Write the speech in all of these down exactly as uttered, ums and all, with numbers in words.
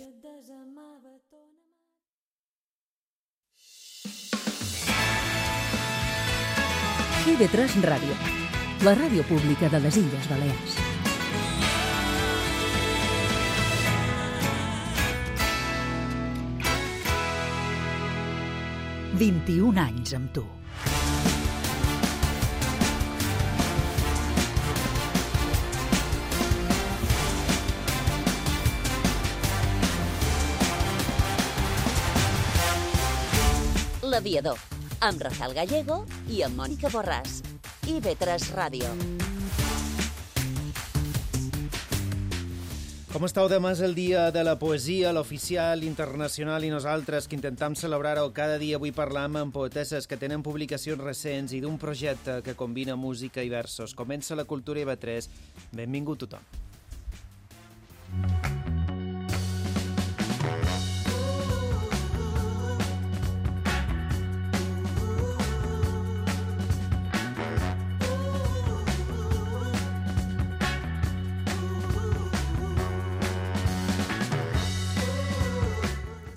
I V tres Ràdio, la ràdio pública de les Illes Balears. vint-i-un anys amb tu. L'Aviador, amb Rafael Gallego i amb Mònica Borràs. I V tres Ràdio. Com esteu? Demà és el dia de la poesia, l'oficial, internacional, i nosaltres que intentem celebrar-ho cada dia. Avui parlam amb poetesses que tenen publicacions recents i d'un projecte que combina música i versos. Comença la Cultura I V tres. Benvingut tothom.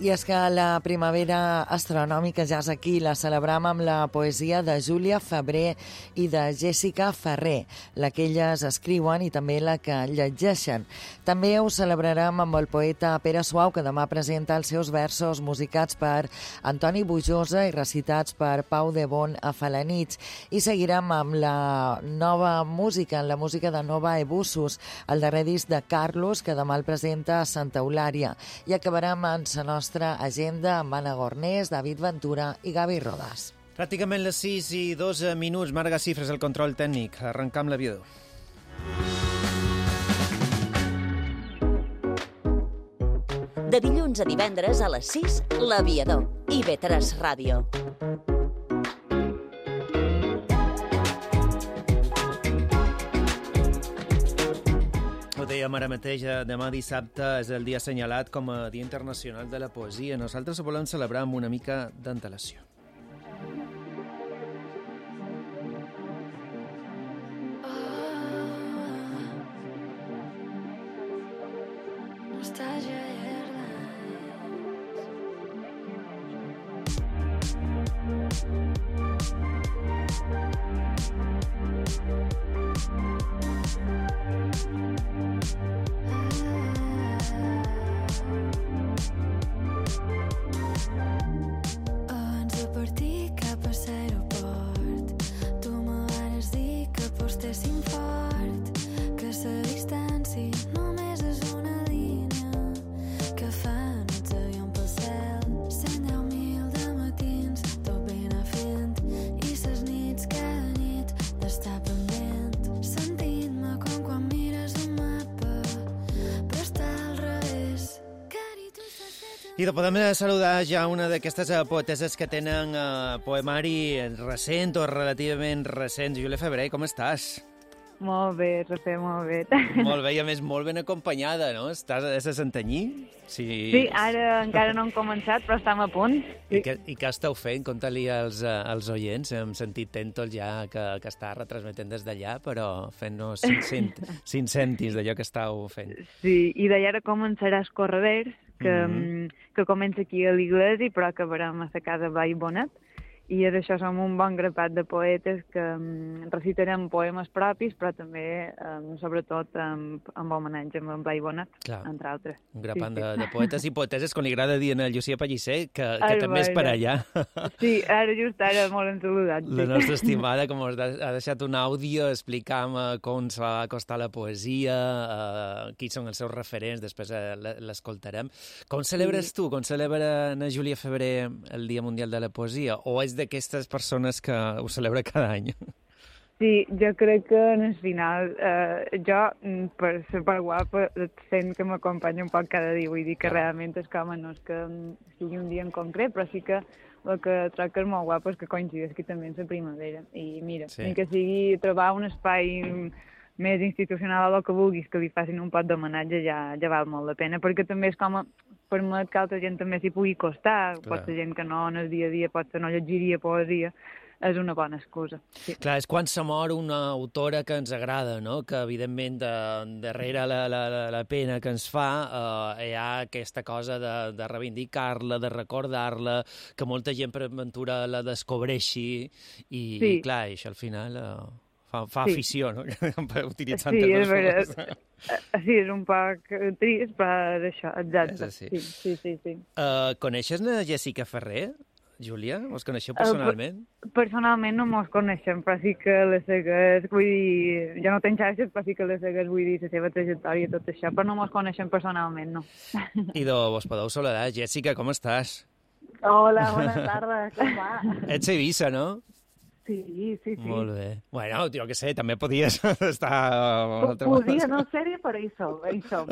I és que la primavera astronòmica ja és aquí. La celebram amb la poesia de Júlia Febrer i de Jessica Ferrer, la que elles escriuen i també la que llegeixen. També ho celebrarem amb el poeta Pere Suau, que demà presenta els seus versos musicats per Antoni Bujosa i recitats per Pau de Bon a Falanits. I seguirem amb la nova música, la música de Nova Ebussos, el darrer disc de Carlos, que demà el presenta a Santa Eulària. I acabarem amb la nostra agenda amb Anna Gornés, David Ventura i Gavi Rodas. Pràcticament les sis i dos minuts. Marga Cifres, el control tècnic. Arrencam l'Aviador. De dilluns a divendres a les sis, l'Aviador. I V tres Ràdio. Ho dèiem ara mateix, demà dissabte és el dia assenyalat com a Dia Internacional de la Poesia. Nosaltres ho volem celebrar amb una mica d'antelació. I de podem saludar ja una d'aquestes poeteses que tenen eh, poemari recent o relativament recent. Júlia Febrer, com estàs? Molt bé, Rafael, molt bé. Molt bé, i a més molt ben acompanyada, no? Estàs a Santanyí? Sí, sí, ara encara no hem començat, però estem a punt. I, què, i què esteu fent? Conta-li als, als oients. Hem sentit Tèntol ja que, que està retransmetent des d'allà, però fent-nos cinc, cinc, cinc cèntims d'allò que estàu fent. Sí, i d'allà ara començarà Escorreders, que, mm-hmm. que comença aquí a l'Iglesi, però acabarem a la casa Vall Bonet. I és això, som un bon grapat de poetes que um, recitarem poemes propis, però també, um, sobretot, um, amb homenatge amb en Blai Bonet, Clar. entre altres. Un grapat sí, sí. De, de poetes i poeteses, com li agrada dir a Llucia Pellicer, que, que Ai, també és per allà. Sí, ara just ara molt ensaludat. Sí. La nostra estimada, com us ha deixat un àudio explicant uh, com se va acostar la poesia, uh, qui són els seus referents, després uh, l'escoltarem. Com celebres sí. tu, com celebra na Júlia Febrer el Dia Mundial de la Poesia? O és d'aquestes persones que ho celebra cada any? Sí, jo crec que en el final, eh, jo, per ser per guapa, sent que m'acompanya un poc cada dia, vull dir que realment és com, no és que sigui un dia en concret, però sí que el que trobo que és molt guapo és que coincideix que també és la primavera. I mira, sí. ni que sigui trobar un espai més institucional o el que vulguis, que li facin un pot d'homenatge, ja, ja val molt la pena, perquè també és com a permet que altra gent també s'hi pugui costar. Clar. Pot ser gent que no en el dia a dia potser no llegiria poesia, és una bona excusa. Sí. Clar, és quan se mor una autora que ens agrada, no? Que, evidentment, de, darrere la, la, la pena que ens fa eh, hi ha aquesta cosa de, de reivindicar-la, de recordar-la, que molta gent, per aventura, la descobreixi i, sí. i clar, això al final eh, fa, fa sí. afició, no? Utilitzant sí, termes forts. Sí, és un poc trist, però això, exacte. Sí, sí, sí. sí, sí. Uh, coneixes la Jessica Ferrer? Júlia, us coneixeu personalment? Uh, personalment no mos coneixem, però sí que les segues, vull dir, jo no tenc xarxes, però sí que les segues, vull dir, la seva trajectòria i tot això, però no mos coneixem personalment, no. I de vos podeu saludar. Jessica, com estàs? Hola, bona tarda, com va? Ets a Eivissa, no? Sí, sí, sí. Molt bé. Bueno, jo què sé, també podies estar... Podia no ser-hi, però hi som, hi som.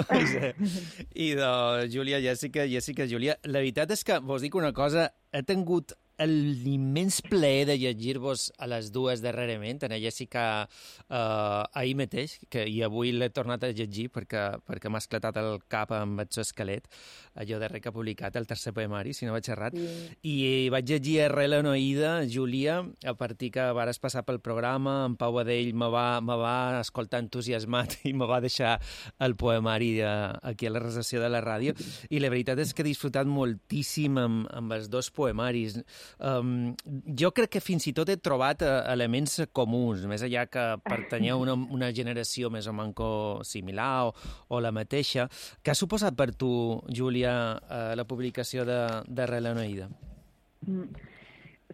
I de Júlia, Jessica, Jessica, Júlia, la veritat és que vos dic una cosa, he tingut l'immens plaer de llegir-vos a les dues darrerament, a la Jessica eh, ahir mateix, que, i avui l'he tornat a llegir perquè, perquè m'ha esclatat el cap amb el seu esquelet, allò darrer que ha publicat, el tercer poemari, si no vaig errat, sí. I vaig llegir Arrel Anoïda, Júlia, a partir que vares passar pel programa, en Pau Adell me va, me va escoltar entusiasmat i me va deixar el poemari de, aquí a la recepció de la ràdio, i la veritat és que he disfrutat moltíssim amb, amb els dos poemaris. Um, jo crec que fins i tot he trobat uh, elements comuns, més enllà que pertanyeu a una, una generació més o manco similar o, o la mateixa. Què ha suposat per tu, Júlia, uh, la publicació de, de Relenoïda?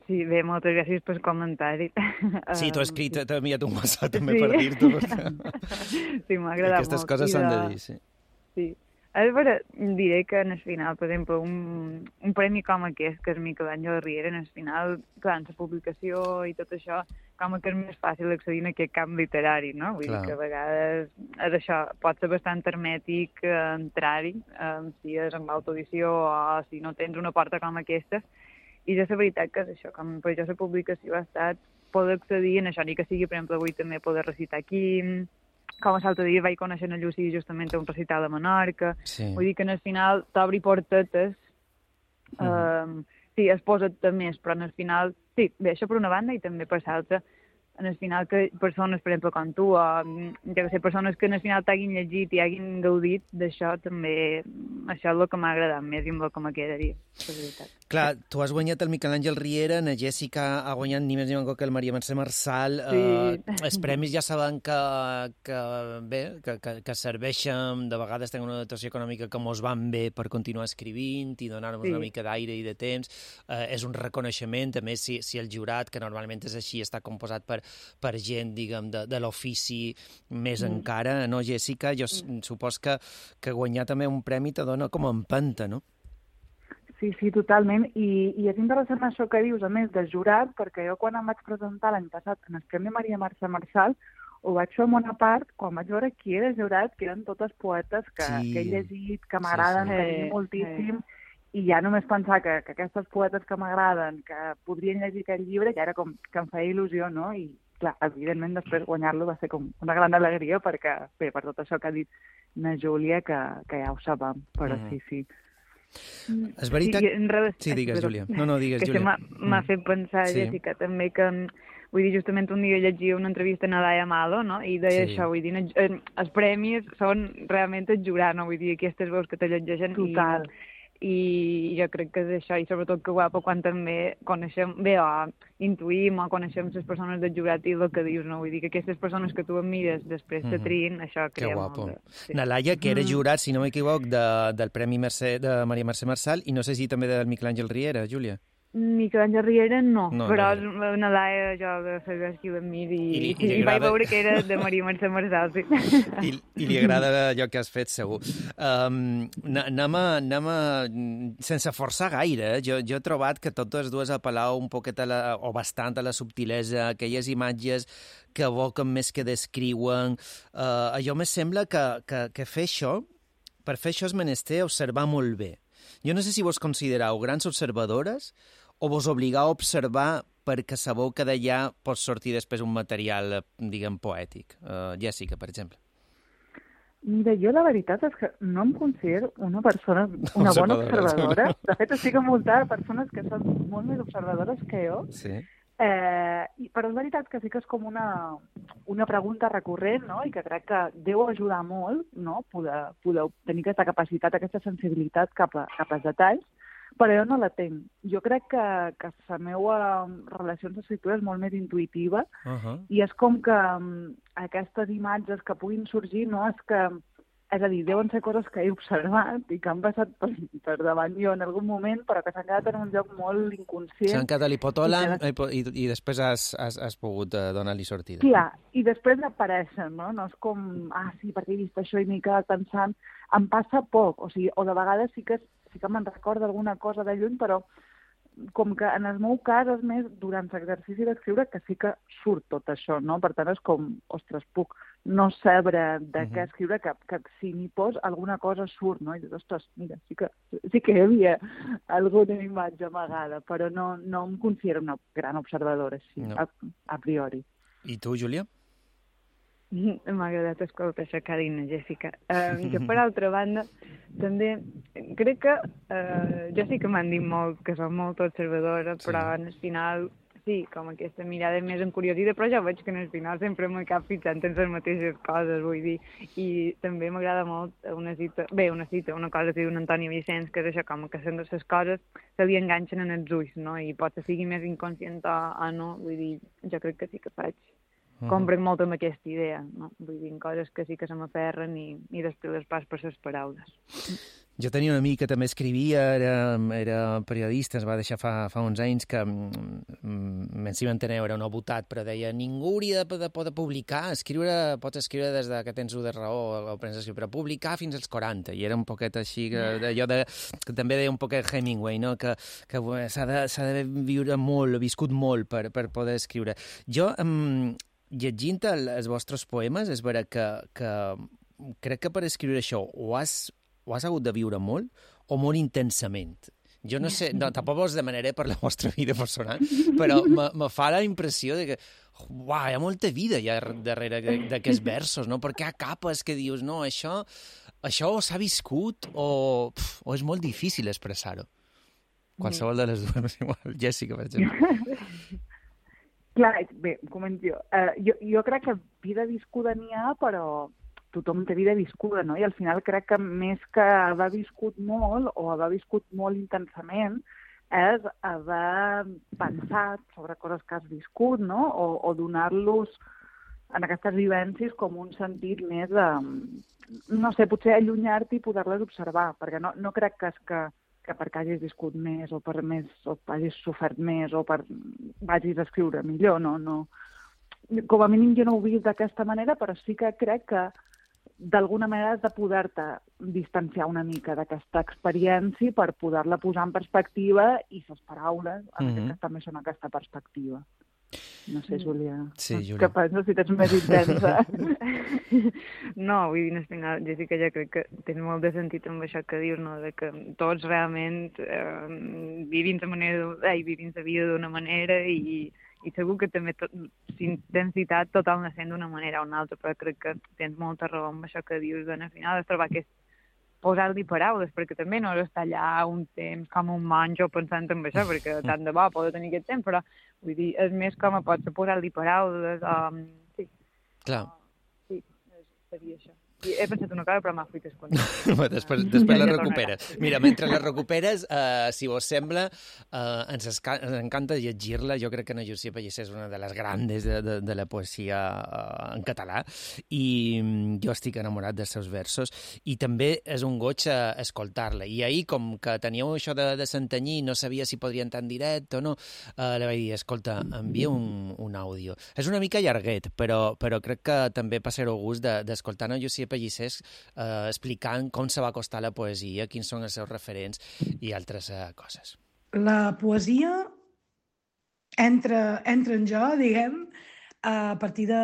Sí, bé, moltes gràcies pel comentari. Sí, t'ho he escrit, t'he enviat un WhatsApp també sí. per dir-t'ho. Sí, m'ha agradat molt. Aquestes coses s'han de dir, sí. Sí. A veure, diré que en el final, per exemple, un, un premi com aquest, que és Miquel Àngel Riera, en el final, clar, en la publicació i tot això, com que és més fàcil accedir a aquest camp literari, no? Vull clar. dir que a vegades és això, pot ser bastant hermètic eh, entrar-hi, eh, si és amb autoedició o si no tens una porta com aquesta, i ja és la veritat que és això, com per això la publicació ha estat poder accedir en això, ni que sigui, per exemple, avui també poder recitar aquí, com a l'altre dia vaig conèixer a Llucí justament a un recital a Menorca. Sí. Vull dir que al final t'obri portetes. Mm. Uh, sí, es posa més, però al final... Sí, bé, això per una banda i també per l'altra. En el final que persones, per exemple, com tu, o ja que sé, persones que en el final t'hagin llegit i hagin gaudit d'això, també això és el que m'ha agradat més i amb el que me quedaria, per veritat. Clar, tu has guanyat el Miquel Àngel Riera, na Jessica ha guanyat ni més ni menys que el Maria Mercè Marçal. Sí. Uh, els premis ja saben que, que bé, que, que, que serveixen, de vegades tenen una dotació econòmica que mos van bé per continuar escrivint i donar-nos sí. una mica d'aire i de temps. Uh, és un reconeixement, a més, si, si el jurat, que normalment és així, està composat per, per gent, diguem, de, de l'ofici més mm. encara, no, Jessica? Jo mm. supos que, que guanyar també un premi te dona com a empenta, no? Sí, sí, totalment. I, i és interessant això que dius, a més, del jurat, perquè jo quan em vaig presentar l'any passat en el Premi Maria Mercè Marçal, ho vaig fer en bona part quan vaig veure qui era el jurat, que eren totes poetes que, sí. que he llegit, que m'agraden, sí, sí. que eh, moltíssim, eh. i ja només pensar que, que aquestes poetes que m'agraden, que podrien llegir aquest llibre, ja era com que em feia il·lusió, no? I, clar, evidentment, després guanyar-lo va ser com una gran alegria, perquè, bé, per tot això que ha dit na Júlia, que, que ja ho sabem, però mm. sí, sí. És veritat... Sí, relació... sí digues, Júlia. No, no, digues, que Júlia. Que m'ha mm. fet pensar, sí. Jessica, també que... Vull dir, justament un dia llegia una entrevista a Nadaya Malo, no? I deia sí. això, vull dir, els premis són realment el jurar, no? Vull dir, aquestes veus que te llegeixen. Total. I, i jo crec que és això, i sobretot que guapa quan també coneixem, bé, o intuïm o coneixem les persones del jurat i el que dius, no? Vull dir que aquestes persones que tu admires després mm-hmm. te triïn, això crea molt. Que guapo. Sí. Nalaia, que era jurat, si no m'equivoc, de, del Premi Mercè, de Maria Mercè Marçal, i no sé si també del Miquel Àngel Riera, Júlia. Miquel Àngel Riera no, no però no. Una laia jo de segueix qui l'admiri i, i, i, i vaig veure que era de Maria Mercè Marçal, sí. I, I li agrada allò que has fet, segur. Um, anem, a, anem a... Sense forçar gaire, jo, jo he trobat que totes dues apel·lau un poquet a la, o bastant a la subtilesa, aquelles imatges que evoquen més que descriuen. Uh, allò me sembla que, que, que fer això, per fer això és menester observar molt bé. Jo no sé si vos considereu grans observadores o vos obligau a observar perquè sabeu que d'allà pot sortir després un material, diguem, poètic. Uh, Jessica, per exemple. Mira, jo la veritat és que no em considero una persona, una bona observadora. De fet, estic envoltada de persones que són molt més observadores que jo. Sí. Eh, i- però és veritat que sí que és com una, una pregunta recurrent, no? I que crec que deu ajudar molt, no? Poder, poder tenir aquesta capacitat, aquesta sensibilitat cap, a, cap als detalls, però jo no la tinc. Jo crec que, que la meva relació amb l'escriptura és molt més intuïtiva Uh -huh. i és com que um, aquestes imatges que puguin sorgir, no? És que, és a dir, deuen ser coses que he observat i que han passat per, per davant jo en algun moment, però que s'han quedat en un lloc molt inconscient. S'han quedat a l'hipotòlam I i, po- i, i després has, has, has pogut uh, donar-li sortida. Clar, i després apareixen, no? No és com, ah, sí, perquè he vist això i m'he quedat pensant. Em passa poc, o sigui, o de vegades sí que, sí que me'n recorda alguna cosa de lluny, però com que en el meu cas és més durant l'exercici d'escriure que sí que surt tot això, no? Per tant, és com, ostres, puc no saber de uh -huh. què escriure, que, que si m'hi pos alguna cosa surt, no? I dius, ostres, mira, sí que, sí que hi havia alguna imatge amagada, però no, no em considero una gran observadora, així, No. a, a priori. I tu, Júlia? M'ha agradat escoltar això que ha dit la Jessica. Uh, jo, per altra banda, també crec que uh, jo sí que m'han dit molt que soc molt observadora, Sí. però en el final, sí, com aquesta mirada més encuriosida, però jo veig que en el final sempre m'he cap fixant en les mateixes coses, vull dir, i també m'agrada molt una cita, bé, una cita, una cosa que diu Antoni Vicenç, que és això, com que sent les coses se li enganxen en els ulls, no? I pot que sigui més inconscient o, o no, vull dir, jo crec que sí que faig. Comprenc molt amb aquesta idea, no? Vull dir, coses que sí que se m'aferren i, i després les pas per les paraules. Jo tenia un amic que també escrivia, era, era periodista, es va deixar fa, fa uns anys, que me'n s'hi va enteneu, era un votat, però deia ningú hauria de poder publicar, escriure, pots escriure des de que tens u de raó, o prens escriure, però publicar fins als quaranta, i era un poquet així, allò de, que també deia un poquet Hemingway, no? que, que s'ha de, s'ha de viure molt, viscut molt per, per poder escriure. Jo, um, llegint el, els vostres poemes, és vera que, que crec que per escriure això o has, o has hagut de viure molt o molt intensament. Jo no sé, no, tampoc us demanaré per la vostra vida personal, però me, me fa la impressió de que uau, hi ha molta vida ja darrere d'aquests versos, no? Perquè hi ha capes que dius, no, això, això s'ha viscut o, pf, o és molt difícil expressar-ho. Qualsevol de les dues, igual. Jessica, per exemple. Clar, bé, comento jo. Uh, jo. Jo crec que vida viscuda n'hi ha, però tothom té vida viscuda, no? I al final crec que més que haver viscut molt o haver viscut molt intensament és haver pensat sobre coses que has viscut, no? O, o donar-los en aquestes vivències com un sentit més de, no sé, potser allunyar-te i poder-les observar, perquè no, no crec que és que que perquè hagis viscut més o per més o hagis sofert més o per vagis a escriure millor, no, no. Com a mínim jo no ho he vist d'aquesta manera, però sí que crec que d'alguna manera has de poder-te distanciar una mica d'aquesta experiència per poder-la posar en perspectiva i les paraules, en Mhm. aquest cas també són aquesta perspectiva. No sé, Júlia, Sí, no, Júlia. què penses si tens més intensa? No, vull dir, al final, Jessica, ja crec que tens molt de sentit amb això que dius, no?, de que tots realment eh, vivim la manera, eh, vivim la vida d'una manera i, i segur que també tot, intensitat tothom la sent d'una manera o una altra, però crec que tens molta raó amb això que dius, al final has trobat aquest posar-li paraules, perquè també no és estar allà un temps com un monjo pensant en això, perquè tant de bo poder tenir aquest temps, però vull dir, és més com a pot ser posar-li paraules, um, sí. Clar. Uh, sí, seria això. I he pensat una cosa, però m'ha fet escoltar. després després la recuperes. Mira, mentre la recuperes, eh, si vos sembla, eh, ens, esca ens encanta llegir-la. Jo crec que Ana Llucia Pellicer és una de les grandes de, de, de la poesia eh, en català i mm, jo estic enamorat dels seus versos i també és un goig eh, escoltar-la. I ahir, com que teníeu això de, de Santanyí, no sabia si podria entrar en directe o no, eh, li vaig dir, escolta, envia un, un àudio. És una mica llarguet, però, però crec que també passareu gust d'escoltar de, Ana Llucia Pellicer eh, explicant com se va acostar la poesia, quins són els seus referents i altres eh, coses. La poesia entra, entra en jo, diguem, a partir de,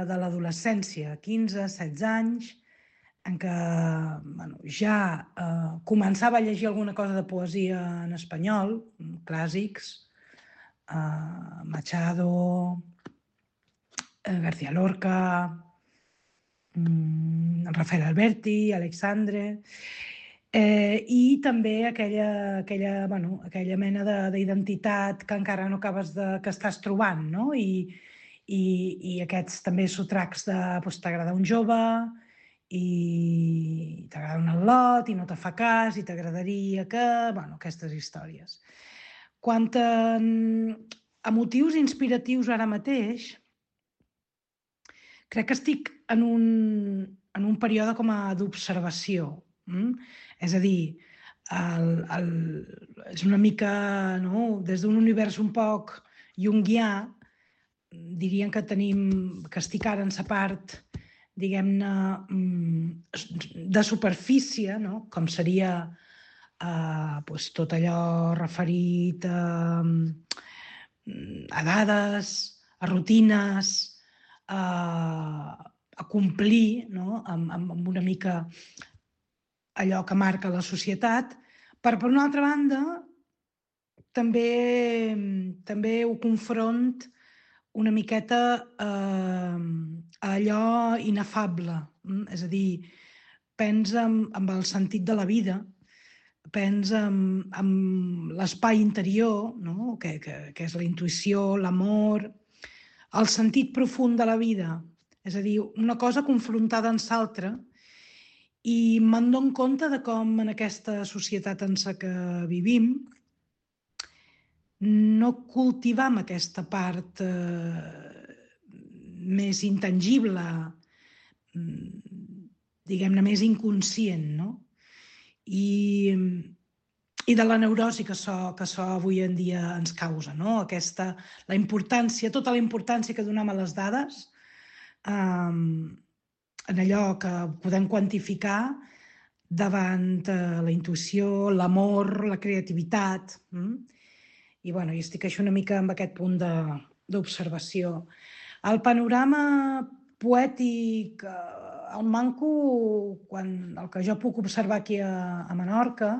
de l'adolescència, quinze, setze anys, en què bueno, ja eh, començava a llegir alguna cosa de poesia en espanyol, clàssics, eh, Machado, eh, García Lorca, Rafael Alberti, Alexandre, Eh, I també aquella, aquella, bueno, aquella mena d'identitat que encara no acabes de... que estàs trobant, no? I, i, i aquests també sotracs de doncs, t'agrada un jove i t'agrada un al·lot i no te fa cas i t'agradaria que... Bueno, aquestes històries. Quant a, a motius inspiratius ara mateix, crec que estic en un, en un període com a d'observació. Mm? És a dir, el, el, és una mica, no? Des d'un univers un poc junguià, diríem que tenim, que estic ara en la part, diguem-ne, de superfície, no? Com seria eh, doncs tot allò referit a, a dades, a rutines, a, a complir, no? amb, amb una mica allò que marca la societat, però per una altra banda també, també ho confront una miqueta eh, a allò inefable, és a dir, pensa en, en el sentit de la vida, pensa en, en l'espai interior, no? que, que, que és la intuïció, l'amor, el sentit profund de la vida, és a dir, una cosa confrontada amb l'altra, i me'n dono compte de com en aquesta societat en la que vivim no cultivam aquesta part eh, més intangible, diguem-ne, més inconscient, no? I, i de la neurosi que això, que això avui en dia ens causa, no? Aquesta, la importància, tota la importància que donem a les dades, eh, en allò que podem quantificar davant eh, la intuïció, l'amor, la creativitat. Mm? I bueno, jo estic així una mica amb aquest punt d'observació. El panorama poètic, eh, el manco, quan, el que jo puc observar aquí a, a Menorca,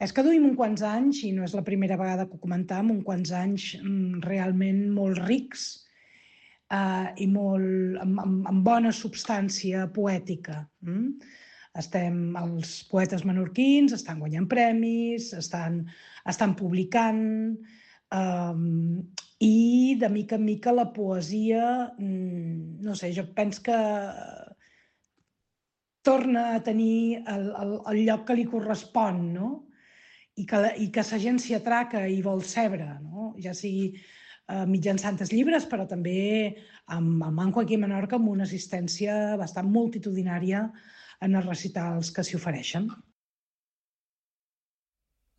és que duim uns quants anys, i no és la primera vegada que ho comentam, uns quants anys mm, realment molt rics eh, i molt, amb, amb, amb bona substància poètica. Mm? Estem, els poetes menorquins estan guanyant premis, estan, estan publicant, um, i de mica en mica la poesia, no sé, jo penso que torna a tenir el, el, el lloc que li correspon, no? I que, i que la gent s'hi atraca i vol sebre, no? Ja sigui uh, mitjançant els llibres, però també amb el Manco aquí a Menorca, amb una assistència bastant multitudinària en els recitals que s'hi ofereixen.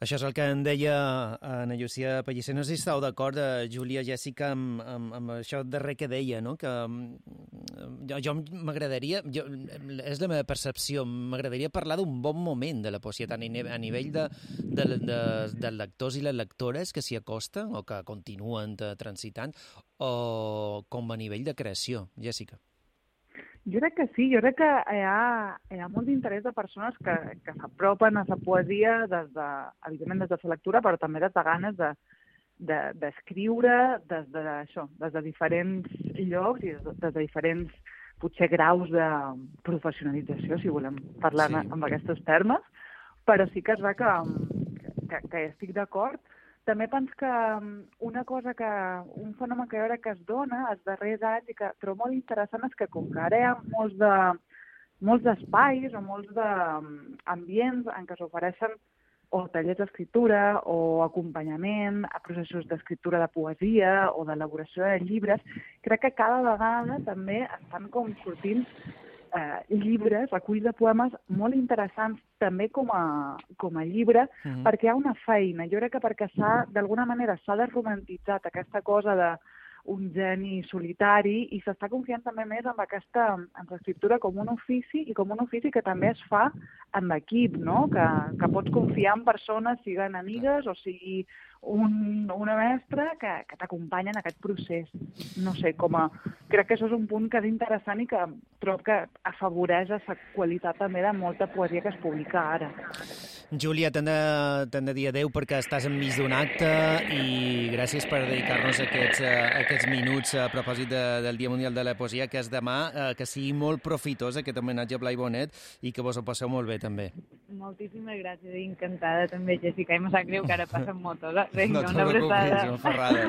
Això és el que en deia Ana Llucia Pellicer. No sé si estàu d'acord, Júlia, Jèssica, amb, amb, amb això darrer que deia, no? Que jo, jo m'agradaria, jo, és la meva percepció, m'agradaria parlar d'un bon moment de la poesia, tant a nivell de, de, de, de lectors i les lectores que s'hi acosten o que continuen transitant, o com a nivell de creació. Jèssica. Jo crec que sí, jo crec que hi ha, hi ha molt d'interès de persones que, que s'apropen a la poesia des de, evidentment des de la lectura, però també des de ganes de, de, d'escriure des de, això, des de diferents llocs i des de, des de diferents, potser, graus de professionalització, si volem parlar sí. amb aquests termes, però sí que és ver que, que, que estic d'acord. També penso que una cosa que, un fenomen que jo crec que es dona els darrers anys i que trobo molt interessant és que com que ara hi ha molts, de, molts d'espais o molts d'ambients en què s'ofereixen o tallers d'escriptura o acompanyament a processos d'escriptura de poesia o d'elaboració de llibres, crec que cada vegada també estan com sortint Eh, llibres, reculls de poemes molt interessants també com a, com a llibre, mm-hmm. perquè hi ha una feina. Jo crec que perquè s'ha, d'alguna manera s'ha desromantitzat aquesta cosa d'un geni solitari i s'està confiant també més en aquesta en l'escriptura com un ofici i com un ofici que també es fa en equip, no? Que, que pots confiar en persones, siguin amigues o sigui un, una mestra que, que t'acompanya en aquest procés. No sé, com a... Crec que això és un punt que és interessant i que trobo que afavoreix la qualitat també de molta poesia que es publica ara. Júlia, t'hem de, t'hem de dir adéu perquè estàs enmig d'un acte i gràcies per dedicar-nos aquests, aquests minuts a propòsit de, del Dia Mundial de la Poesia, que és demà, eh, que sigui molt profitós aquest homenatge a Blai Bonet i que vos ho passeu molt bé també. moltíssimes gràcies i encantada també, Jessica, i me sap greu que ara passen motos. Eh? Vinga, No te una abraçada. preocupis, una ferrada.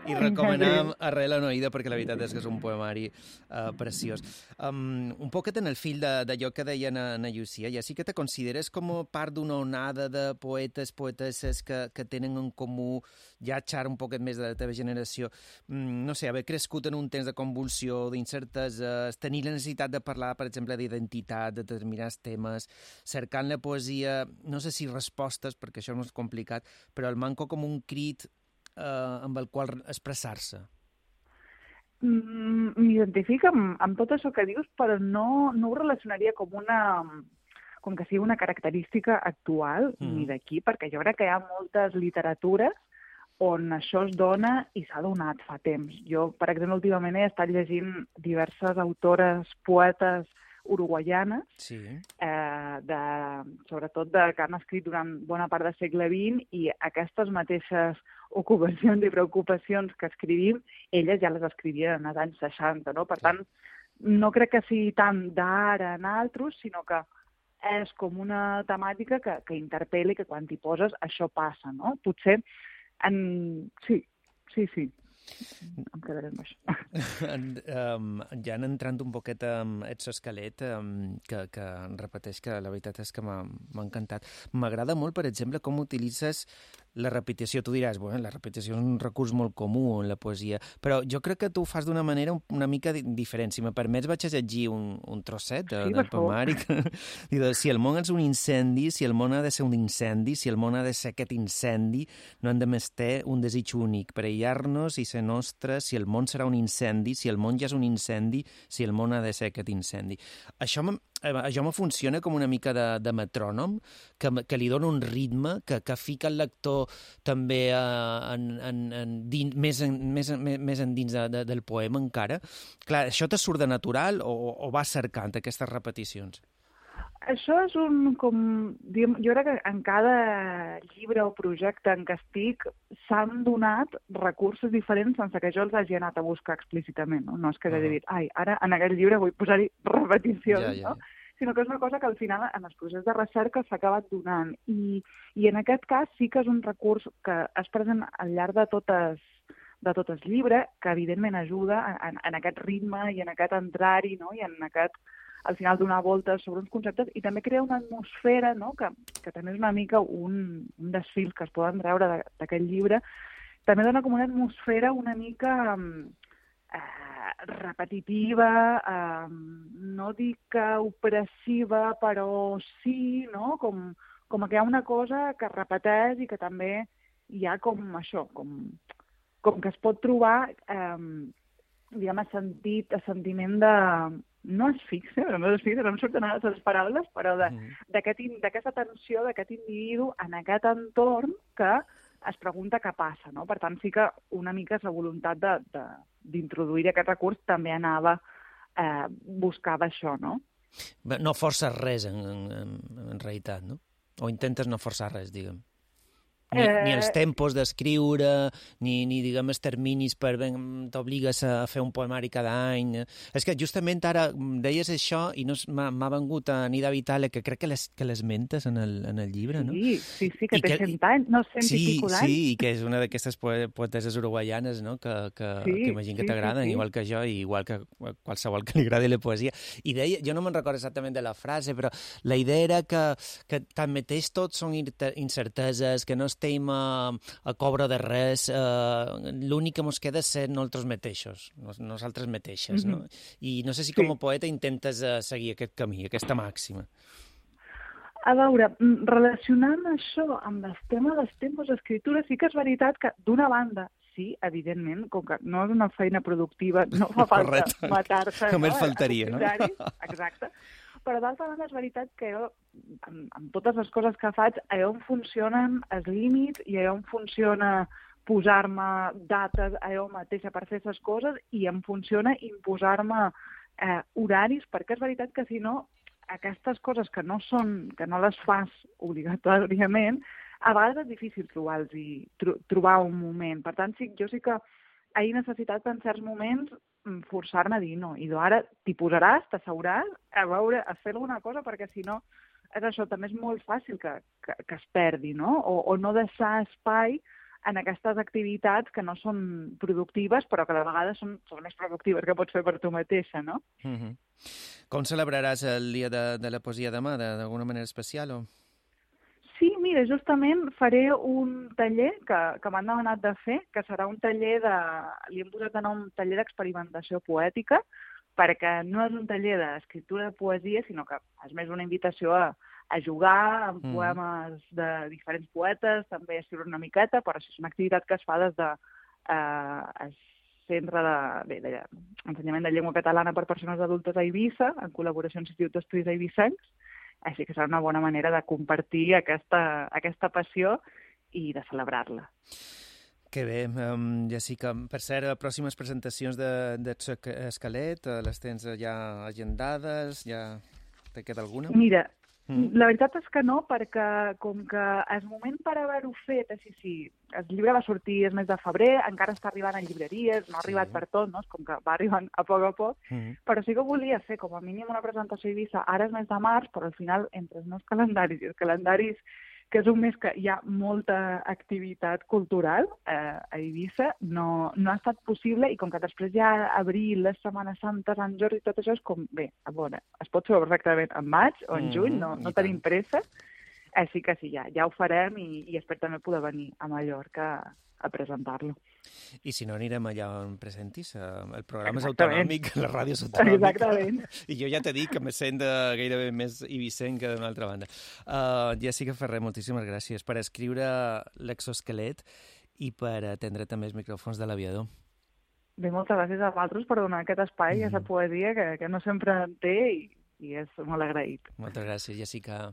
I recomanam Arrel Anoïda perquè la veritat és que és un poemari uh, preciós. Um, un poquet en el fil d'allò que deia na, na Llucia, ja sí que te consideres com part d'una onada de poetes, poetesses que, que tenen en comú ja xar un poquet més de la teva generació. Mm, no sé, haver crescut en un temps de convulsió, d'incerteses, tenir la necessitat de parlar, per exemple, d'identitat, de determinats temes, cercant la poesia, no sé si respostes, perquè això no és complicat, però el manco com un crit eh, amb el qual expressar-se. Mm, M'identifico amb, amb tot això que dius, però no, no ho relacionaria com una com que sigui una característica actual, mm. ni d'aquí, perquè jo crec que hi ha moltes literatures on això es dona i s'ha donat fa temps. Jo, per exemple, últimament he estat llegint diverses autores, poetes uruguaianes, sí. eh, de, sobretot de, que han escrit durant bona part del segle vint, i aquestes mateixes ocupacions i preocupacions que escrivim, elles ja les escrivien als anys seixanta, no? Per tant, no crec que sigui tant d'ara en altres, sinó que és com una temàtica que, que interpel·la i que quan t'hi poses això passa, no? Potser, en... sí, sí, sí. Em quedaré amb això. um, ja entrant un poquet amb Edso Escalet, um, que, que repeteix que la veritat és que m'ha encantat. M'agrada molt, per exemple, com utilitzes la repetició. Tu diràs, bueno, la repetició és un recurs molt comú en la poesia, però jo crec que tu ho fas d'una manera una mica diferent. Si me permets, vaig a llegir un, un trosset de, sí, del poemari. Si el món és un incendi, si el món ha de ser un incendi, si el món ha de ser aquest incendi, no hem de més ter un desig únic, per aïllar-nos i ser nostre, si el món serà un incendi, si el món ja és un incendi, si el món ha de ser aquest incendi. Això me, això me funciona com una mica de, de metrònom, que, que li dona un ritme, que, que fica el lector també uh, en, en, en dins, més, en, més, més endins de, de, del poema encara. Clar, això te surt de natural o, o vas cercant aquestes repeticions? Això és un, com, diguem, jo crec que en cada llibre o projecte en què estic s'han donat recursos diferents sense que jo els hagi anat a buscar explícitament, no? No és que hagi uh-huh. dit, ai, ara en aquest llibre vull posar-hi repeticions, ja, ja, ja. no? Sinó que és una cosa que al final en el procés de recerca s'ha acabat donant. I, I en aquest cas sí que és un recurs que es present al llarg de totes de tot el llibre, que evidentment ajuda en, en aquest ritme i en aquest entrar-hi, no? I en aquest, al final, donar voltes sobre uns conceptes, i també crea una atmosfera, no? que, que també és una mica un, un dels fils que es poden treure d'aquest llibre. També dona com una atmosfera una mica eh, repetitiva, eh, no dic que opressiva, però sí, no? Com, com que hi ha una cosa que es repeteix i que també hi ha com això, com, com que es pot trobar, eh, diguem, a sentit, a sentiment de... no és fixe, no és fixe, no em surten ara les paraules, però d'aquesta mm. tensió d'aquest individu en aquest entorn que es pregunta què passa, no? Per tant, sí que una mica la voluntat d'introduir aquest recurs també anava, eh, buscava això, no? No forces res, en, en, en realitat, no? O intentes no forçar res, diguem. Ni, eh... ni els tempos d'escriure, ni, ni, diguem, els terminis per... t'obligues a fer un poemari cada any. És que justament ara deies això i no m'ha vengut a Nida Vitale, que crec que les, que les mentes en el, en el llibre, no? Sí, sí, sí, que I té que, cent anys, no, cent sí, i pico d'anys. Sí, i que és una d'aquestes poeteses uruguaianes, no?, que, que, sí, que imagino que sí, t'agraden, sí, sí. igual que jo, i igual que qualsevol que li agradi la poesia. I deia, jo no me'n recordo exactament de la frase, però la idea era que, que tanmateix tots són incerteses, que no estem a, a cobre de res, eh, l'únic que mos queda és ser nosaltres mateixos, nosaltres mateixes, no? Mm-hmm. I no sé si com a poeta intentes uh, seguir aquest camí, aquesta màxima. A veure, relacionant això amb el tema dels tempos d'escriptura, sí que és veritat que, d'una banda, sí, evidentment, com que no és una feina productiva, no fa falta matar-se. Només no? faltaria, no? Exacte. Però d'altra banda és veritat que jo, amb, amb totes les coses que faig, allà on funcionen els límits i allà on funciona posar-me dates allà mateixa per fer aquestes coses i em funciona imposar-me eh, horaris, perquè és veritat que si no, aquestes coses que no són, que no les fas obligatòriament, a vegades és difícil trobar-los i tro trobar un moment. Per tant, sí, jo sí que he necessitat en certs moments forçar-me a dir no, i ara t'hi posaràs, t'asseuràs a veure, a fer alguna cosa, perquè si no és això, també és molt fàcil que, que, que es perdi, no? O, o no deixar espai en aquestes activitats que no són productives, però que de vegades són, són més productives que pots fer per tu mateixa, no? Mm-hmm. Com celebraràs el dia de, de la poesia demà, d'alguna manera especial? O? Sí, mira, justament faré un taller que, que m'han demanat de fer, que serà un taller de... li hem posat de nom taller d'experimentació poètica, perquè no és un taller d'escriptura de poesia, sinó que és més una invitació a, a jugar amb mm. poemes de diferents poetes, també a escriure una miqueta, però això és una activitat que es fa des de eh, el Centre de, bé, de Ensenyament de Llengua Catalana per Persones Adultes a Eivissa, en col·laboració amb l'Institut d'Estudis Eivissencs, així que serà una bona manera de compartir aquesta, aquesta passió i de celebrar-la. Que bé, um, Jessica. Per cert, pròximes presentacions d'Esquelet, de, les tens ja agendades? Ja te queda alguna? Mira, mm. la veritat és que no, perquè com que el moment per haver-ho fet, així sí, el llibre va sortir el mes de febrer, encara està arribant a llibreries, no ha arribat sí. per tot, no? És com que va arribant a poc a poc, mm. però sí que volia fer com a mínim una presentació a Eivissa ara és mes de març, però al final, entre els meus calendaris i els calendaris que és un mes que hi ha molta activitat cultural eh, a Eivissa, no, no ha estat possible, i com que després hi ha abril, les Setmanes Santes, Sant Jordi, tot això és com, bé, a veure, es pot fer perfectament en maig o en juny, no, no tenim pressa, així que sí, ja, ja ho farem i, i espero també poder venir a Mallorca a presentar-lo. I si no, anirem allà on presentis. El programa Exactament. És autonòmic, la ràdio és autonòmica. Exactament. I jo ja t'he dit que me sent gairebé més eivissenc que d'una altra banda. Uh, Jessica Ferrer, moltíssimes gràcies per escriure L'Exoesquelet i per atendre també els micròfons de l'Aviador. Bé, moltes gràcies a vosaltres per donar aquest espai i mm. aquesta poesia que, que no sempre en té i, i és molt agraït. Moltes gràcies, Jessica.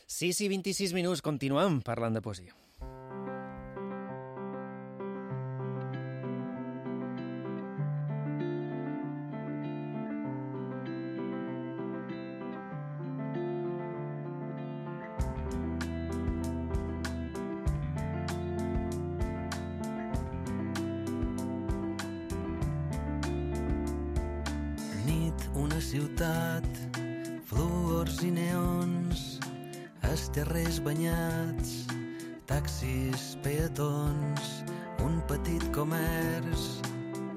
sis i vint-i-sis minuts, continuem parlant de poesia. Ciutat, fluors i neons, els terrers banyats, taxis, peatons, un petit comerç,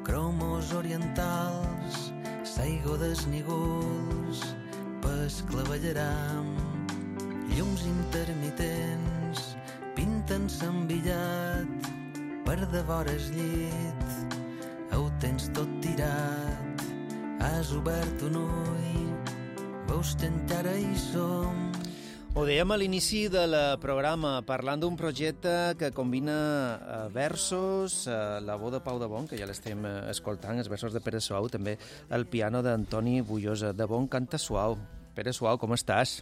cromos orientals, saigo desnígols, pes clavellaram, llums intermitents, pinten s'envillat, per devora el llit, ho tens tot tirat. Has obert un ull, veus que encara hi som. Ho dèiem a l'inici del programa, parlant d'un projecte que combina versos, la veu de Pau de Bon, que ja l'estem escoltant, els versos de Pere Suau, també el piano d'Antoni Bullosa. De Bon canta suau. Pere Suau, com estàs?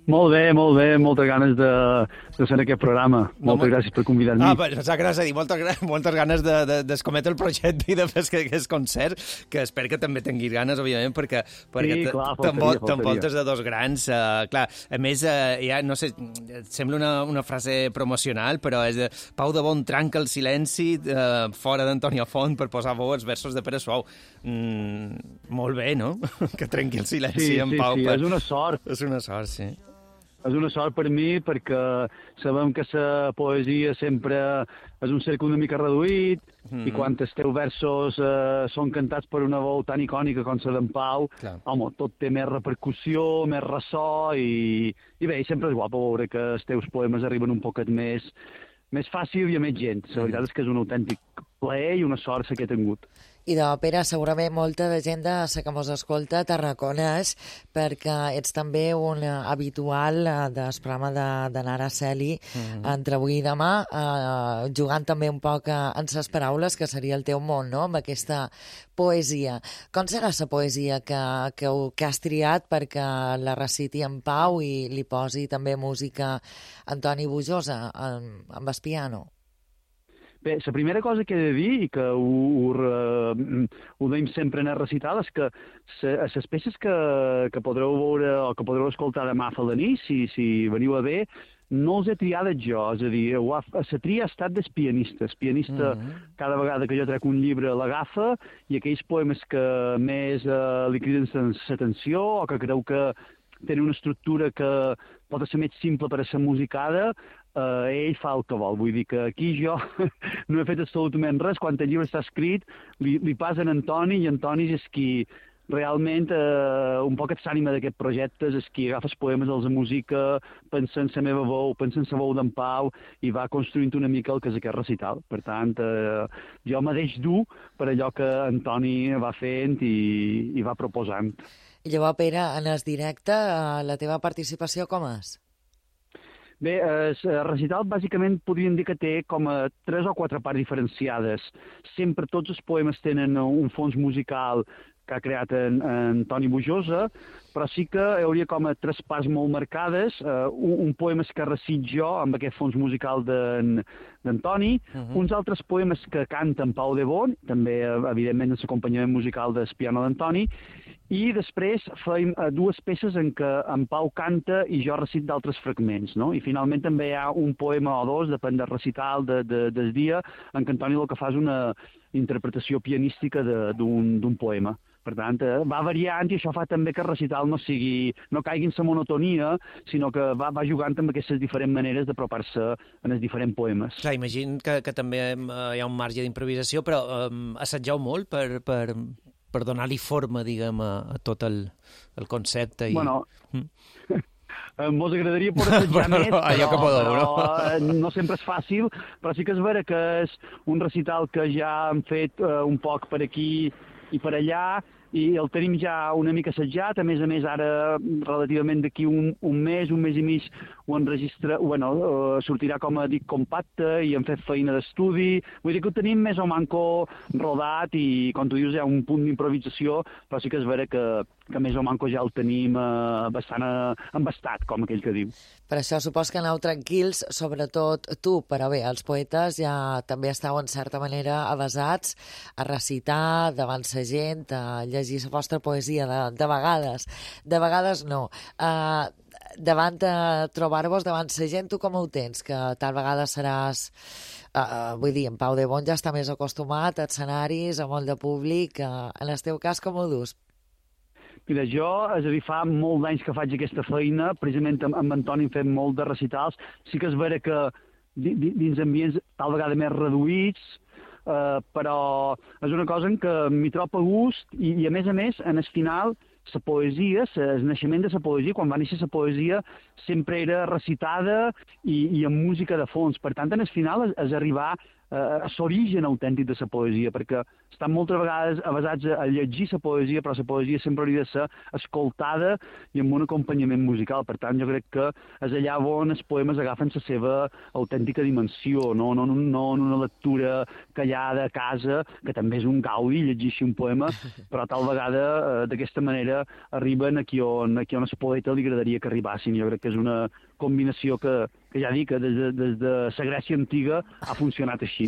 Molt bé, molt bé, moltes ganes de, de ser en aquest programa. Moltes no, gràcies per convidar-me. Ah, però saps gràcies a dir, moltes, moltes ganes de, de, d'escometre el projecte i de fer aquest concert, que espero que també tinguis ganes, òbviament, perquè, perquè sí, clar, faltaria, t'envoltes de dos grans. Uh, clar, a més, uh, ja, no sé, sembla una, una frase promocional, però és de Pau de Bon trenca el silenci uh, fora d'Antonio Font per posar veu els versos de Pere Suau. Mm, molt bé, no? Que trenqui el silenci sí, en sí, Pau. Sí, per... és una sort. És una sort, sí. És una sort per mi perquè sabem que la poesia sempre és un cercle una mica reduït mm-hmm. i quan els teus versos eh, són cantats per una veu tan icònica com la d'en Pau, Clar. home, tot té més repercussió, més ressò i, i bé, sempre és guapo veure que els teus poemes arriben un poquet més, més fàcil i a més gent. La veritat és que és un autèntic plaer i una sort que he tingut. I de Pere, segurament molta de gent de la que mos escolta te reconeix perquè ets també un habitual del programa de, de Nara Celi mm-hmm. entre avui i demà, eh, jugant també un poc en ses paraules, que seria el teu món, no?, amb aquesta poesia. Com serà la poesia que, que, que has triat perquè la reciti en Pau i li posi també música Antoni Bullosa amb, amb el piano? Bé, la primera cosa que he de dir, i que ho, ho, ho deim sempre en el recital, és que les peces que, que podreu veure o que podreu escoltar demà a la nit, si, si veniu a bé, no els he triat jo, és a dir, la tria ha estat dels pianistes. El pianista, mm-hmm. cada vegada que jo trec un llibre, l'agafa, i aquells poemes que més eh, li criden l'atenció o que creu que tenen una estructura que pot ser més simple per a ser musicada, eh, ell fa el que vol. Vull dir que aquí jo no he fet absolutament res. Quan el llibre està escrit, li, li passa a Antoni, i Antoni és qui realment eh, un poc et s'ànima d'aquest projecte, és qui agafa els poemes, els musica, pensa en la meva veu, pensa en la veu d'en Pau, i va construint una mica el que és aquest recital. Per tant, eh, jo me deix dur per allò que Antoni va fent i, i va proposant. I llavors, Pere, en el directe, la teva participació com és? Bé, el recital bàsicament podríem dir que té com a tres o quatre parts diferenciades. Sempre tots els poemes tenen un fons musical que ha creat en, en Toni Bujosa, però sí que hi hauria com a tres parts molt marcades. Uh, un, un poema que recit jo, amb aquest fons musical d'en Toni, uh -huh. uns altres poemes que canta en Pau de Bon, també, evidentment, amb l'acompanyament musical del piano d'Antoni, i després feim uh, dues peces en què en Pau canta i jo recit d'altres fragments, no? I finalment també hi ha un poema o dos, depèn del recital de, de, del dia, en què Antoni el que fa és una interpretació pianística d'un poema. Per tant, va variant i això fa també que el recital no sigui, no caigui en la monotonia, sinó que va, va jugant amb aquestes diferents maneres d'apropar-se en els diferents poemes. Clar, imagino que, que també eh, hi ha un marge d'improvisació, però eh, assageu molt per, per, per donar-li forma, diguem, a, a tot el, el concepte. I... Bueno... Mm. Mos agradaria poder assajar bueno, més, però, que podeu, però no? no sempre és fàcil, però sí que és vera que és un recital que ja hem fet uh, un poc per aquí i per allà, i el tenim ja una mica assajat. A més a més, ara, relativament d'aquí un, un mes, un mes i mig, ho enregistra, bueno, uh, sortirà, com a dic, compacte, i hem fet feina d'estudi. Vull dir que ho tenim més o manco rodat, i, com tu dius, hi ha un punt d'improvisació, però sí que és vera que, que més o manco ja el tenim uh, bastant uh, embastat, com aquell que diu. Per això supos que aneu tranquils, sobretot tu, però bé, els poetes ja també esteu en certa manera avasats a recitar davant sa gent, a llegir la vostra poesia de, de vegades. De vegades no. Uh, davant de trobar-vos davant sa gent, tu com ho tens? Que tal vegada seràs... Uh, vull dir, en Pau de Bon ja està més acostumat a escenaris, a molt de públic. Uh, en el teu cas, com ho dus? Mira, jo, és a dir, fa molts anys que faig aquesta feina, precisament amb, amb Antoni hem fet molt de recitals. Sí que és vera que dins ambients tal vegada més reduïts, eh, però és una cosa en què m'hi trobo a gust, i, i a més a més, en el final, la poesia, el naixement de la poesia, quan va néixer la poesia, sempre era recitada i, i amb música de fons. Per tant, en el final és, és arribar a l'origen autèntic de la poesia, perquè estan moltes vegades avasats a llegir la poesia, però la poesia sempre hauria de ser escoltada i amb un acompanyament musical. Per tant, jo crec que és allà on els poemes agafen la seva autèntica dimensió, no, no, no en una lectura callada a casa, que també és un gaudi llegir un poema, però tal vegada eh, d'aquesta manera arriben aquí on, aquí on el poeta li agradaria que arribassin. Jo crec que és una combinació que, que ja dic que des de, des de la Grècia antiga ha funcionat així.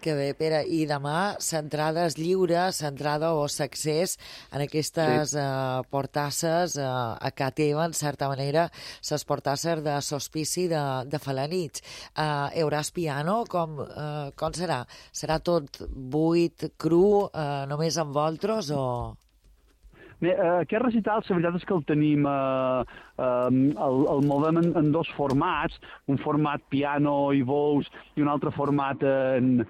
Que bé, Pere. I demà, l'entrada és lliure, l'entrada o l'accés en aquestes sí. uh, portasses uh, a ca teva, en certa manera, les portasses de l'hospici de, de Falanitx. Uh, hi hauràs piano? Com, uh, com serà? Serà tot buit, cru, uh, només amb voltros o...? Bé, aquest recital, la veritat és que el tenim, eh, eh, el, el movem en, en dos formats, un format piano i veus i un altre format en,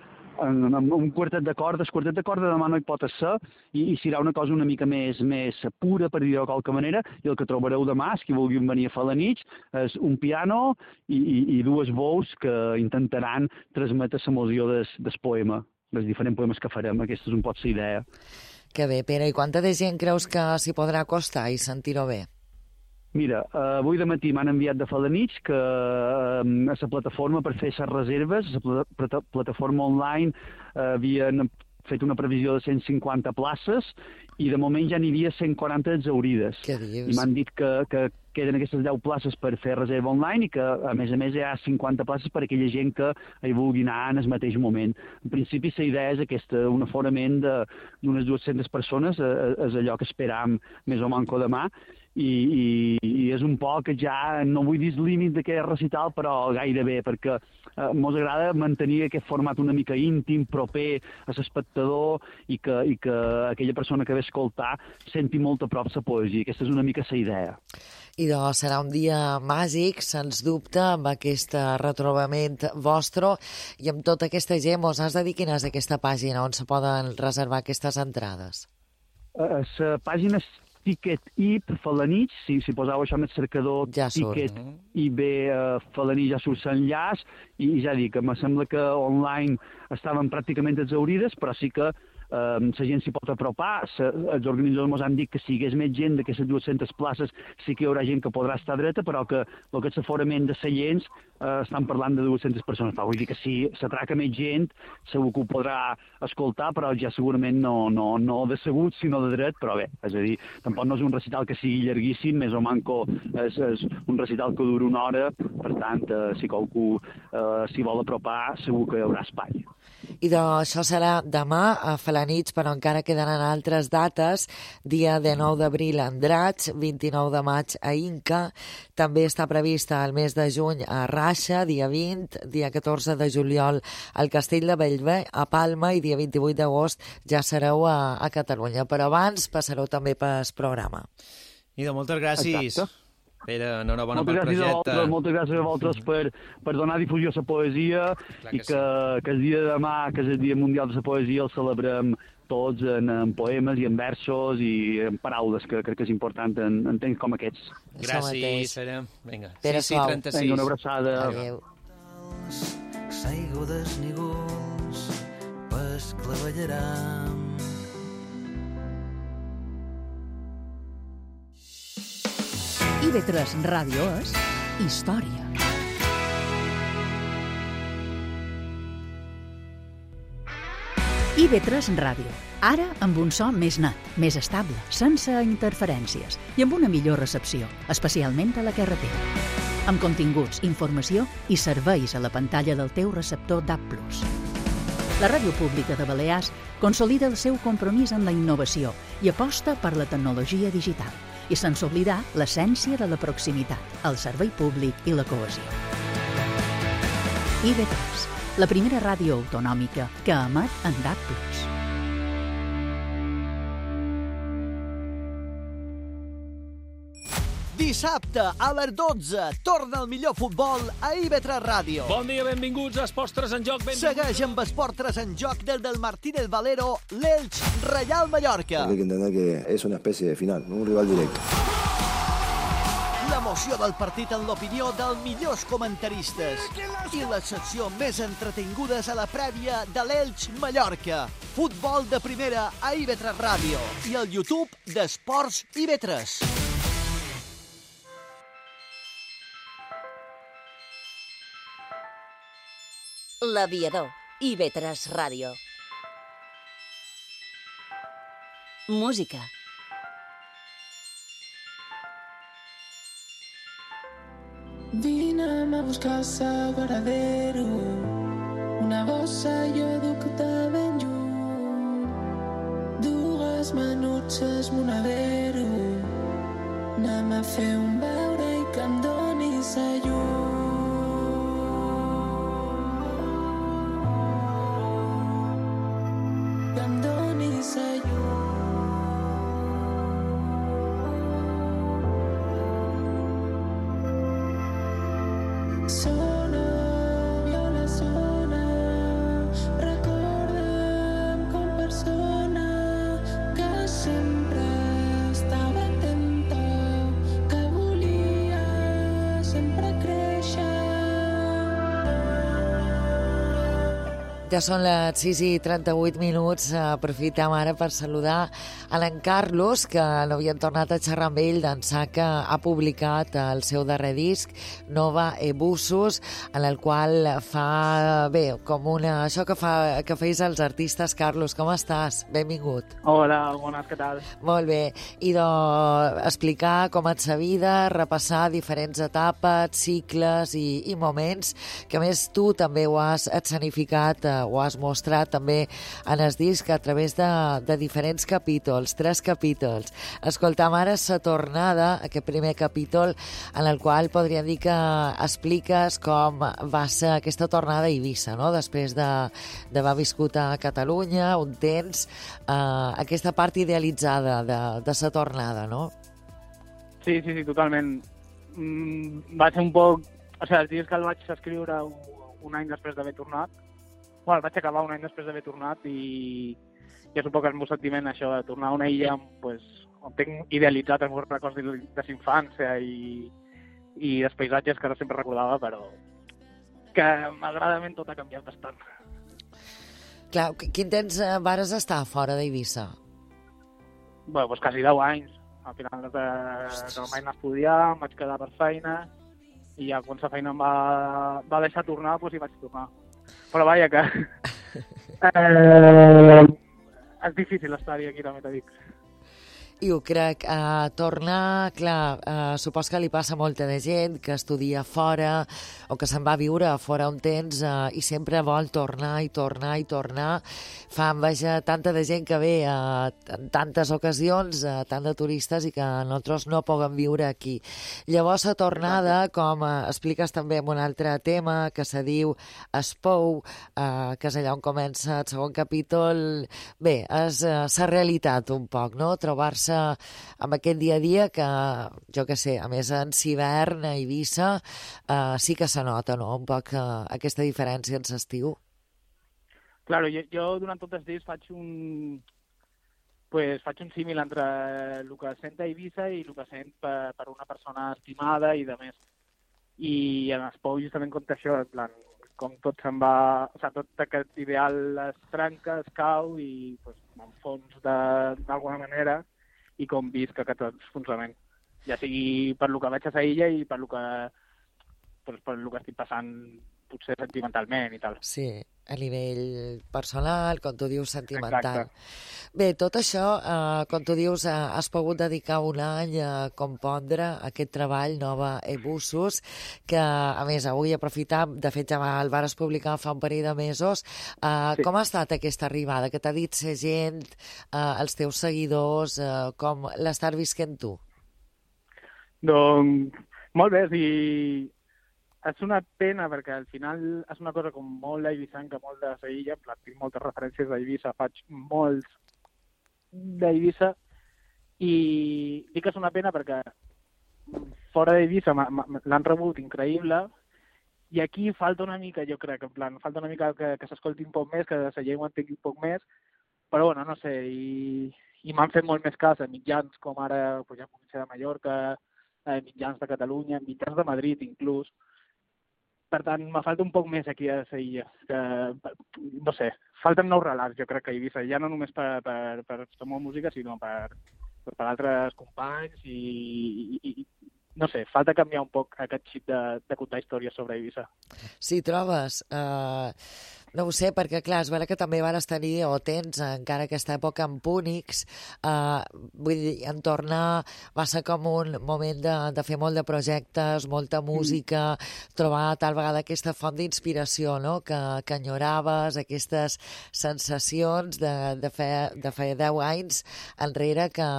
en, en un quartet de cordes. Quartet de cordes demà no hi pot ser, i, i serà una cosa una mica més, més pura, per dir-ho de qualque manera, i el que trobareu demà, si vulguin venir a Falanitx, és un piano i, i, i dues veus que intentaran transmetre l'emoció del, del poema, dels diferents poemes que farem. Aquesta és un pot la idea. Que bé, Pere. I quanta de gent creus que s'hi podrà acostar i sentir-ho bé? Mira, eh, avui de matí m'han enviat de Falanitx que eh, a la plataforma per fer les reserves, a la pl plataforma online, eh, havien fet una previsió de cent cinquanta places i de moment ja n'hi havia cent quaranta exaurides. Què dius? I m'han dit que, que queden aquestes deu places per fer reserva online i que, a més a més, hi ha cinquanta places per a aquella gent que hi vulgui anar en el mateix moment. En principi, la idea és aquesta, un aforament d'unes dues-centes persones, és allò que esperam més o manco demà, i, i, i és un poc que ja, no vull dir el límit d'aquest recital, però gairebé, perquè eh, mos agrada mantenir aquest format una mica íntim, proper a l'espectador, i que, i que aquella persona que ve a escoltar senti molt a prop la poesia. Aquesta és una mica la idea. I doncs serà un dia màgic, sens dubte, amb aquest retrobament vostre i amb tota aquesta gent. Mos has de dir quina és aquesta pàgina on se poden reservar aquestes entrades? La uh, pàgina és Ticket I B Felanitx, si, si poseu això en el cercador, ja Ticket I B uh, Felanitx, ja surt l'enllaç, i ja dic, em sembla que online estaven pràcticament exaurides, però sí que Uh, la gent s'hi pot apropar. Se, els organitzadors ens han dit que si hi hagués més gent d'aquestes dues-centes places sí que hi haurà gent que podrà estar dreta, però que el que és l'aforament de seients uh, estan parlant de dues-centes persones. Vull dir que si s'atraca més gent segur que ho podrà escoltar, però ja segurament no, no, no de segut sinó de dret, però bé, és a dir, tampoc no és un recital que sigui llarguíssim, més o manco és, és un recital que dura una hora, per tant, uh, si qualcú uh, s'hi vol apropar segur que hi haurà espai. I doncs això serà demà a Felanitx, però encara quedaran altres dates. Dia dinou d'abril a Andratx, vint-i-nou de maig a Inca, també està prevista el mes de juny a Raixa, dia vint, dia catorze de juliol al Castell de Bellver, a Palma, i dia vint-i-vuit d'agost ja sereu a, a Catalunya. Però abans passareu també pel programa. I de moltes gràcies. Exacte. Pere, enhorabona pel moltes projecte. Vosaltres, moltes gràcies a vosaltres per, per donar difusió a la poesia. Clar i que, que, sí. que el dia de demà, que és el Dia Mundial de la Poesia, el celebrem tots en, en poemes i en versos i en paraules, que crec que és important en, en temps com aquests. Gràcies, Pere. Vinga, Pere sis i trenta-sis. Vinga, una abraçada. Adéu. Saigo desnígols, pesclavellaram. I B tres Ràdio és història. I B tres Ràdio. Ara amb un so més net, més estable, sense interferències i amb una millor recepció, especialment a la carretera. Amb continguts, informació i serveis a la pantalla del teu receptor D A B plus. La Ràdio Pública de Balears consolida el seu compromís amb la innovació i aposta per la tecnologia digital, i sense oblidar l'essència de la proximitat, el servei públic i la cohesió. I B tres, la primera ràdio autonòmica que emet en D A B plus. Dissabte a les dotze torna el millor futbol a I B tres Ràdio. Bon dia, benvinguts a Esports tres en Joc. Benvinguts. Segueix amb Esports tres en Joc des del Martínez Valero, l'Elx Reial Mallorca. Hay que entender que es una especie de final, un rival directo. L'emoció del partit en l'opinió dels millors comentaristes i les seccions més entretingudes a la prèvia de l'Elx Mallorca. Futbol de primera a I B tres Ràdio i al YouTube d'Esports I B tres. L'Aviador, I B tres Ràdio. Música. Vine a buscar el veradero, una bossa jo duc de ben lluny, dues manutxes monedero, anem a fer un beure i que em donis la llum. Que em donis la llum. Sona, viola sona, recorda'm com persona que sempre estava atenta, que volia sempre créixer. Ja són les sis i trenta-vuit minuts. Aprofitem ara per saludar a l'en Carlos, que no havien tornat a xerrar amb ell d'ençà que ha publicat el seu darrer disc, Nova Ebusus, en el qual fa, bé, com una... això que, fa, que feis els artistes. Carlos, com estàs? Benvingut. Hola, bones, què tal? Molt bé. I doncs explicar com et sa vida, repassar diferents etapes, cicles i, i moments, que a més tu també ho has escenificat ho has mostrat també en el disc a través de, de diferents capítols, tres capítols. Escoltam ara Sa tornada, aquest primer capítol en el qual podríem dir que expliques com va ser aquesta tornada a Eivissa, no? Després d'haver viscut a Catalunya un temps, eh, aquesta part idealitzada de, de Sa tornada, no? Sí, sí, sí, totalment. Mm, va ser un poc... O sigui, els dies que el vaig escriure un, un any després d'haver tornat, bueno, el vaig acabar un any després d'haver tornat i, i és un poc el meu sentiment, això, de tornar a una illa pues, on tinc idealitzat els meus records de, de infància i, i els paisatges que no sempre recordava, però que malgradament tot ha canviat bastant. Clar, quin temps vares estar fora d'Eivissa? Bueno, pues quasi deu anys. Al final de, de vaig anar a estudiar, em vaig quedar per feina i ja quan la feina em va, va deixar tornar, doncs hi vaig tornar. Però vaja que... eh, és difícil estar-hi aquí, també t'ho dic. I ho crec, uh, tornar, clar, uh, supos que li passa a molta de gent que estudia fora o que se'n va viure fora un temps uh, i sempre vol tornar i tornar i tornar. Fa enveja tanta de gent que ve uh, en tantes ocasions, uh, tant de turistes, i que nosaltres no puguem viure aquí. Llavors, la tornada, com uh, expliques també en un altre tema que se diu Espou, uh, que és allà on comença el segon capítol, bé, és uh, la realitat un poc, no? Trobar-se amb aquest dia a dia que, jo què sé, a més en hivern a Eivissa eh, sí que se nota, no?, un poc eh, aquesta diferència en l'estiu. Claro, jo, jo durant tots els dies faig un pues, faig un símil entre el que sent a Eivissa i el que sent per, per una persona estimada i de més. I en Espou justament compta això, en plan, com tot se'n va... O sigui, tot aquest ideal es trenca, es cau i pues, m'enfons d'alguna manera i com visc aquest enfonsament. Ja sigui per lo que veig a la illa i per lo que, pues, per lo que estic passant potser sentimentalment i tal. Sí, a nivell personal, com tu dius, sentimental. Exacte. Bé, tot això, eh, com tu dius, eh, has pogut dedicar un any a compondre aquest treball, Nova Ebussos, que, a més, avui aprofitam, de fet ja el vares publicar fa un parell de mesos. Eh, sí. Com ha estat aquesta arribada? Què t'ha dit la gent, eh, els teus seguidors, eh, com l'estàs visquent tu? Doncs, molt bé, i és una pena perquè al final és una cosa com molt eivissanca, molt de la illa, tinc moltes referències d'Eivissa, faig molts d'Eivissa i dic que és una pena perquè fora d'Eivissa l'han rebut increïble i aquí falta una mica, jo crec, en plan, falta una mica que, que s'escolti un poc més, que la llengua entengui un poc més, però bueno, no sé, i, i m'han fet molt més cas a mitjans com ara, pues ja puc ser de Mallorca, a mitjans de Catalunya, mitjans de Madrid inclús. Per tant, me falta un poc més aquí a la illa. Que, no sé, falten nous relats, jo crec que a Eivissa, ja no només per, per, per la meva música, sinó per, per, per altres companys i, i, i, no sé, falta canviar un poc aquest xip de, de contar històries sobre Eivissa. Sí, trobes? Uh, no ho sé, perquè clar, és vera que també vas tenir, o tens encara aquesta època en Púnix, uh, vull dir, en tornar va ser com un moment de, de fer molt de projectes, molta música, mm. trobar tal vegada aquesta font d'inspiració, no?, que, que enyoraves, aquestes sensacions de, de, fer, de fer deu anys enrere que,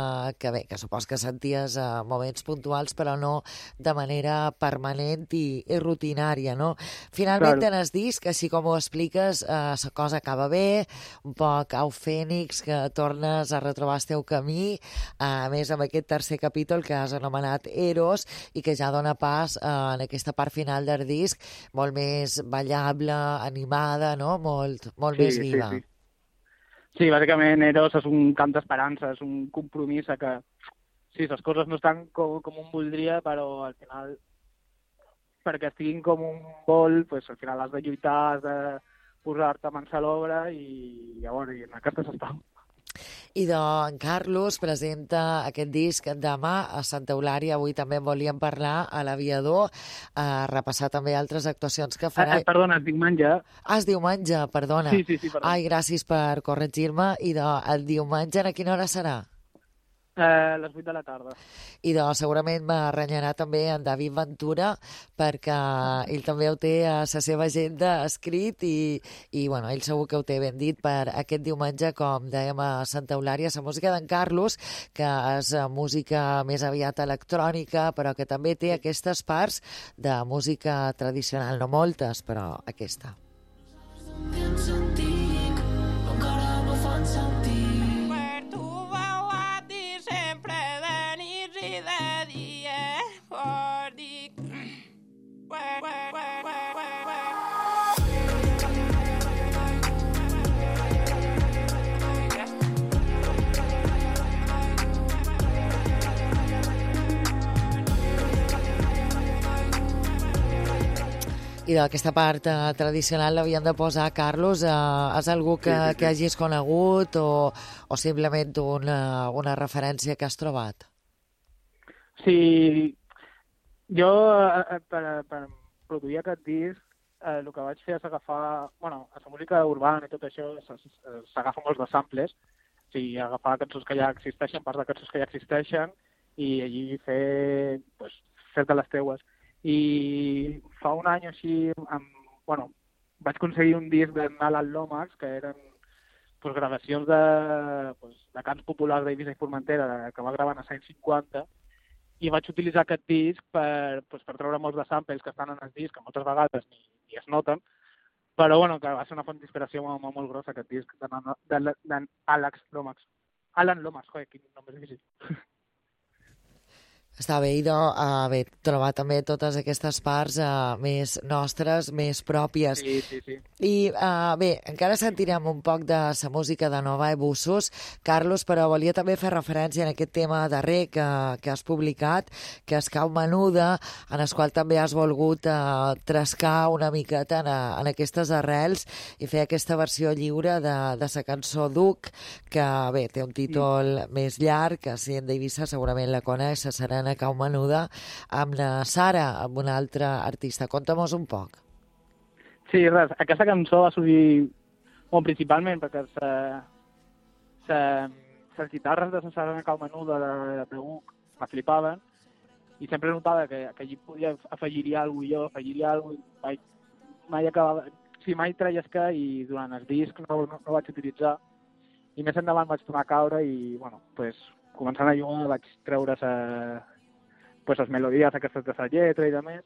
que bé, que supos que senties uh, moments puntuals, però no de manera permanent i, i rutinària, no? Finalment, claro. En el disc, així com ho expliques, la eh, cosa acaba bé, un poc au fènix, que tornes a retrobar el teu camí, a més amb aquest tercer capítol que has anomenat Eros i que ja dona pas eh, en aquesta part final del disc molt més ballable, animada, no? Molt, molt sí, més viva. Sí, sí. sí, bàsicament Eros és un cant d'esperança, és un compromís a que sí, les coses no estan com, com un voldria, però al final, perquè estiguin com un vol, pues, al final has de lluitar, has de posar-te mans a l'obra i llavors i en aquestes estem. I doncs, Carlos presenta aquest disc demà a Santa Eulària. Avui també en volíem parlar a l'Aviador, a repassar també altres actuacions que farà. Eh, perdona, es diumenge. Ah, es diumenge, perdona. Sí, sí, sí, perdona. Ai, gràcies per corregir-me. I doncs, el diumenge a quina hora serà? A les vuit de la tarda. I doncs segurament m'arrenyarà també en David Ventura, perquè ell també ho té a la seva agenda escrit i, i bueno, ell segur que ho té ben dit per aquest diumenge, com dèiem a Santa Eulària. La música d'en Carlos, que és música més aviat electrònica, però que també té aquestes parts de música tradicional, no moltes, però aquesta. I d'aquesta part eh, tradicional l'havien de posar, Carlos. Eh, és algú que, sí, sí, sí. que hagis conegut o, o simplement una, una referència que has trobat? Sí, jo eh, per, per produir aquest disc eh, el que vaig fer és agafar, bueno, a la música urbana i tot això s'agafa molts de samples, o sigui, agafar cançons que ja existeixen, parts de cançons que ja existeixen i allí fer, pues, fer-te les teues. I fa un any o així, amb, bueno, vaig aconseguir un disc d'Alan Lomax, que eren pues, gravacions de, pues, de cants populars d'Eivissa i Formentera, que va gravar a l'any cinquanta, i vaig utilitzar aquest disc per, pues, per treure molts de samples que estan en el disc, que moltes vegades ni, ni es noten, però bueno, que va ser una font d'inspiració molt, molt, molt grossa, aquest disc d'Àlex Lomax. Alan Lomax, joder, quin nom més difícil. Està bé, idò, haver trobat també totes aquestes parts uh, més nostres, més pròpies. Sí, sí, sí. I uh, bé, encara sentirem un poc de la música de Nova i Bussos, Carlos, però volia també fer referència en aquest tema darrer que, que has publicat, que és Cau Menuda, en el qual també has volgut uh, trascar una miqueta en, en aquestes arrels i fer aquesta versió lliure de, de la cançó Duc, que bé, té un títol mm. més llarg, que si en d'Eivissa segurament la coneix, la Serena Cau Menuda, amb la Sara, amb una altra artista. Conta-mos un poc. Sí, res, aquesta cançó va sortir bon, principalment perquè les guitarres de la Sara Cau Menuda de, de Uc me flipaven i sempre notava que, que allí podia afegir-hi alguna cosa, jo afegir-hi alguna cosa, mai, mai acabava... Sí, mai treies que i durant el disc no, no, no vaig utilitzar i més endavant vaig tornar a caure i, bueno, pues, començant a jugar vaig treure sa, pues, les melodies aquestes de la lletra i de més.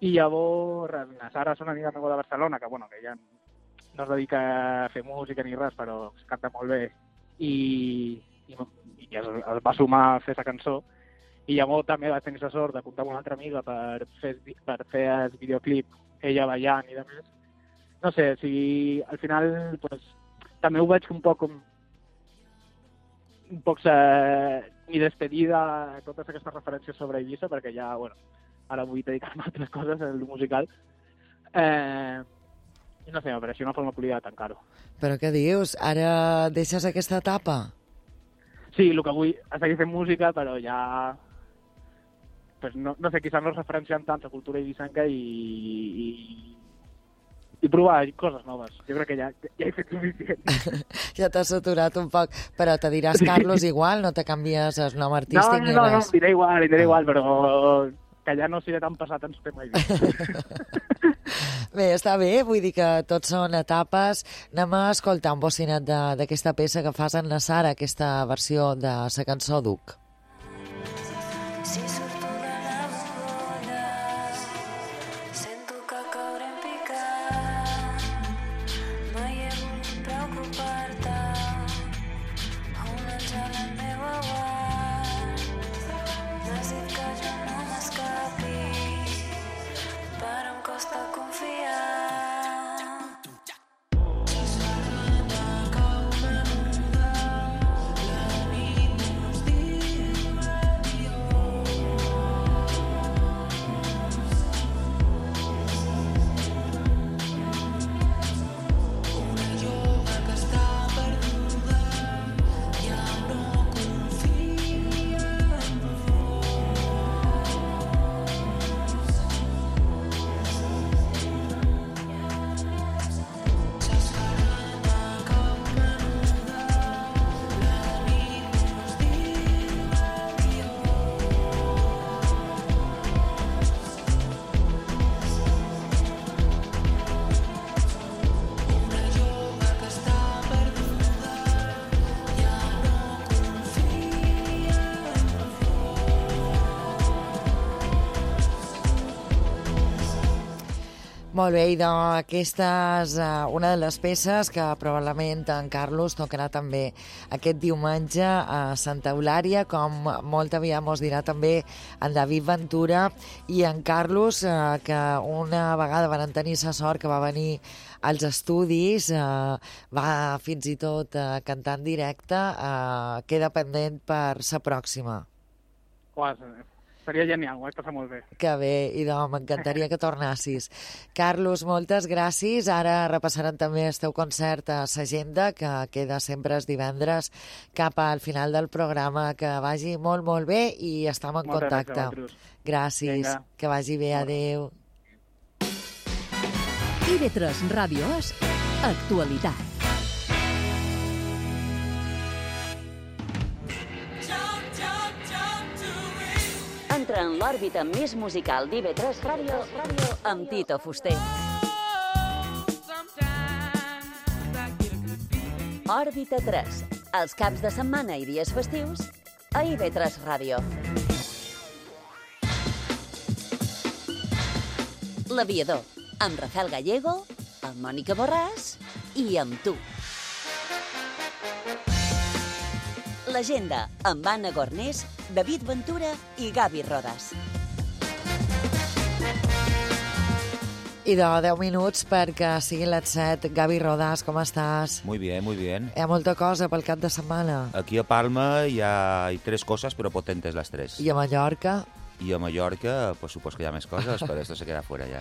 I llavors, la Sara és una amiga meva de Barcelona, que, bueno, que ja no es dedica a fer música ni res, però canta molt bé. I, i, i es, es va sumar a fer aquesta cançó. I llavors també vaig tenir la sort de comptar amb una altra amiga per fer, per fer el videoclip, ella ballant i de més. No sé, o sigui, al final, pues, també ho veig un poc com un poc eh, mi despedida a totes aquestes referències sobre Eivissa, perquè ja, bueno, ara vull dedicar-me a altres coses, el musical. Eh, I no sé, me pareixia una forma polida de tancar-ho. Però què dius? Ara deixes aquesta etapa? Sí, el que vull és seguir fent música, però ja... Pues no, no sé, quizás no es referencien tant a cultura eivissenca i... i i provar coses noves. Jo crec que ja, ja he fet suficient. Ja t'has saturat un poc, però te diràs Carlos igual, no te canvies el nom artístic no, no, ni no, res. No, no, diré igual, diré ah. igual, però que ja no seré tan passat en su tema. Bé, està bé, vull dir que tots són etapes. Anem a escoltar un bocinet d'aquesta peça que fas en la Sara, aquesta versió de la cançó Duc. Si surto de la bombolla, sento que caure en picat. No hi he volgut preocupar-te, un àngel al meu aguant. M'has dit que jo no m'escapi, però em costa confiar. La nit nos diu adiós. Molt bé, i d'aquesta és una de les peces que probablement en Carlos tocarà també aquest diumenge a Santa Eulària, com molt aviat mos dirà també en David Ventura i en Carlos, eh, que una vegada van tenir la sort que va venir als estudis, eh, va fins i tot eh, cantar en directe, eh, queda pendent per la pròxima. Quasi. Seria genial, ho vaig passar molt bé. Que bé, i doncs m'encantaria que tornassis. Carlos, moltes gràcies. Ara repassarem també el teu concert a l'agenda, que queda sempre els divendres cap al final del programa. Que vagi molt, molt bé i estem en Moltes contacte. gràcies. Gràcies. Vinga. Que vagi bé, adeu. I V tres Ràdio és actualitat. Entra en l'òrbita més musical d'I V tres Ràdio amb Tito Fuster. Òrbita tres, els caps de setmana i dies festius a I V tres Ràdio. L'Aviador, amb Rafael Gallego, amb Mònica Borràs i amb tu. L'Agenda, amb Anna Gornés, David Ventura i Gavi Rodas. I de deu minuts perquè siguin les set. Gavi Rodas, com estàs? Muy bien, muy bien. Hi ha molta cosa pel cap de setmana. Aquí a Palma hi ha hay tres cosas, pero potentes las tres. I a Mallorca? Y a Mallorca, pues supongo que hi ha més coses, pero esto se queda fuera ya.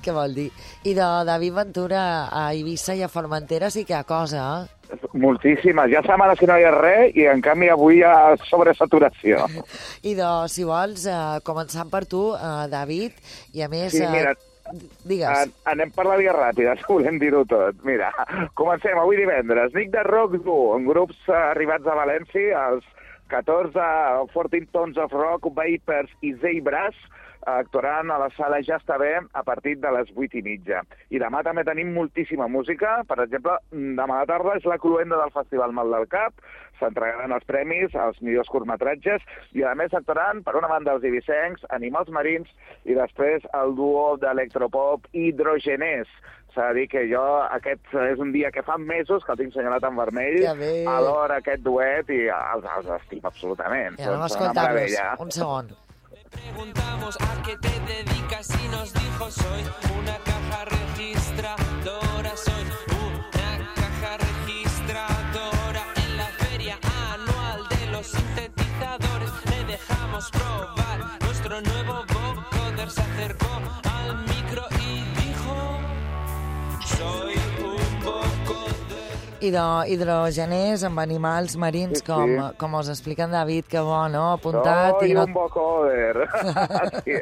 Què vol dir? I de David Ventura a Eivissa i a Formentera sí que hi ha cosa, eh? Moltíssimes. Ja setmana si no hi ha res i en canvi avui hi ha sobresaturació. I de, si vols, eh, començant per tu, eh, David, i a més... Sí, mira, eh, digues. An anem per la via ràpida, si volem dir-ho tot. Mira, comencem avui divendres. Nick de Rock Duo, en grups eh, arribats a València, els catorze fourteen Tons of Rock, Vapers i Zebras, actuaran a la sala Ja està bé a partir de les vuit i mitja. I demà també tenim moltíssima música. Per exemple, demà a la tarda és la cluenda del Festival Mal del Cap, s'entregaran els premis als millors curtmetratges i a més actuaran per una banda els ibicencs, Animals Marins i després el duo d'electropop Hidrogenés. S'ha de dir que jo, aquest és un dia que fa mesos que el tinc senyalat en vermell, Ja ve. adoro aquest duet i els, els estimo absolutament. Ja, anem a Són una escoltar-los. meravella. Un segon. Preguntamos a qué te dedicas y nos dijo soy una caja registradora, soy una caja registradora. En la feria anual de los sintetizadores le dejamos probar nuestro nuevo vocoder. Se acercó al micro y dijo soy un vocoder. I de hidrogeners amb animals marins, Sí, sí. com, com us explica en David, que bo, no? Apuntat Soy i no... un vocoder. Sí,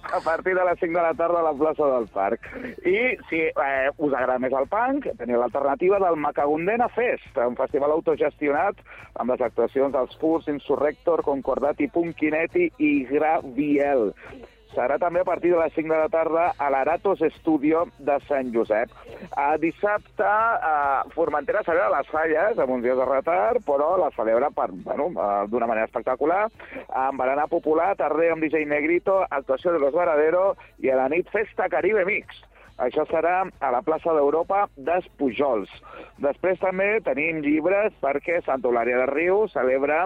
a partir de les cinc de la tarda a la plaça del Parc. I si eh, us agrada més el punk, teniu l'alternativa del Macagundena Fest, un festival autogestionat amb les actuacions dels Furs, Insurrector, Concordati, Punkinetti i Graviel. Serà també a partir de les cinc de la tarda a l'Aratos Studio de Sant Josep. A dissabte, a Formentera celebra les falles, amb uns dies de retard, però la celebra per, bueno, d'una manera espectacular, amb berenar popular, tarder amb D J Negrito, actuació de Los Varadero i a la nit Festa Caribe Mix. Això serà a la plaça d'Europa dels Pujols. Després també tenim llibres perquè Santa Eulària de Riu celebra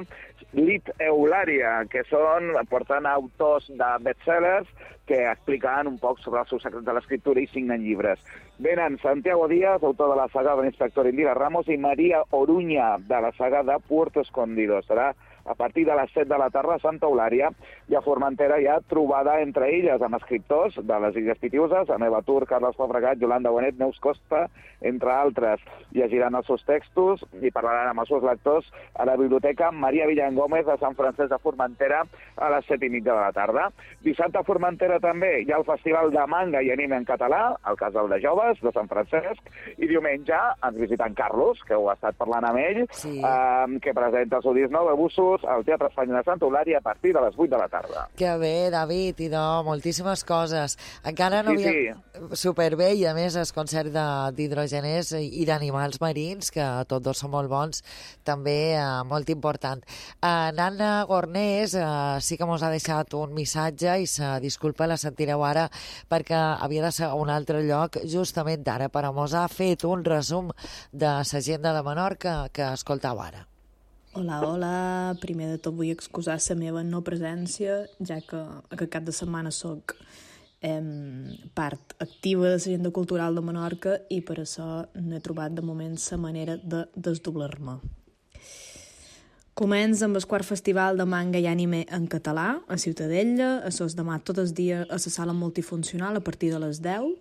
Lit Eulària, que són, porten autors de bestsellers que explicaran un poc sobre els seus secrets de l'escriptura i signen llibres. Venen Santiago Díaz, autor de la saga de l'Inspector Indira Ramos, i Maria Oruña, de la saga de Puerto Escondido. Serà a partir de les set de la tarda a Santa Eulària, i a Formentera hi ha trobada entre illes amb escriptors de les Illes Pitiuses, Aneva Tur, Carles Fabregat, Yolanda Bonet, Neus Costa, entre altres. Llegiran els seus textos i parlaran amb els seus lectors a la Biblioteca Maria Villangómez de Sant Francesc de Formentera a les set i mitja de la tarda. Dissabte a Formentera també hi ha el Festival de Manga i Anime en català, al Casal de Joves de Sant Francesc, i diumenge ens visita en Carlos, que ho ha estat parlant amb ell, Sí. eh, que presenta el seu disc nou, Abusos, euros al Teatre Espanya de Santa Eulària a partir de les vuit de la tarda. Que bé, David, i de moltíssimes coses. Encara no Sí, havia... Superbé, i a més el concert d'hidrogeners i d'animals marins, que tots dos són molt bons, també eh, molt important. Eh, Nana Gornés eh, sí que mos ha deixat un missatge i se disculpa, la sentireu ara, perquè havia de ser a un altre lloc justament d'ara, però mos ha fet un resum de l'agenda de Menorca que escoltau ara. Hola, hola. Primer de tot vull excusar la meva no presència, ja que aquest cap de setmana soc eh, part activa de l'agenda cultural de Menorca i per això no he trobat de moment la manera de desdoblar-me. Comença amb el quart festival de manga i anime en català a Ciutadella, a sos demà tot el dia a la sala multifuncional a partir de les deu.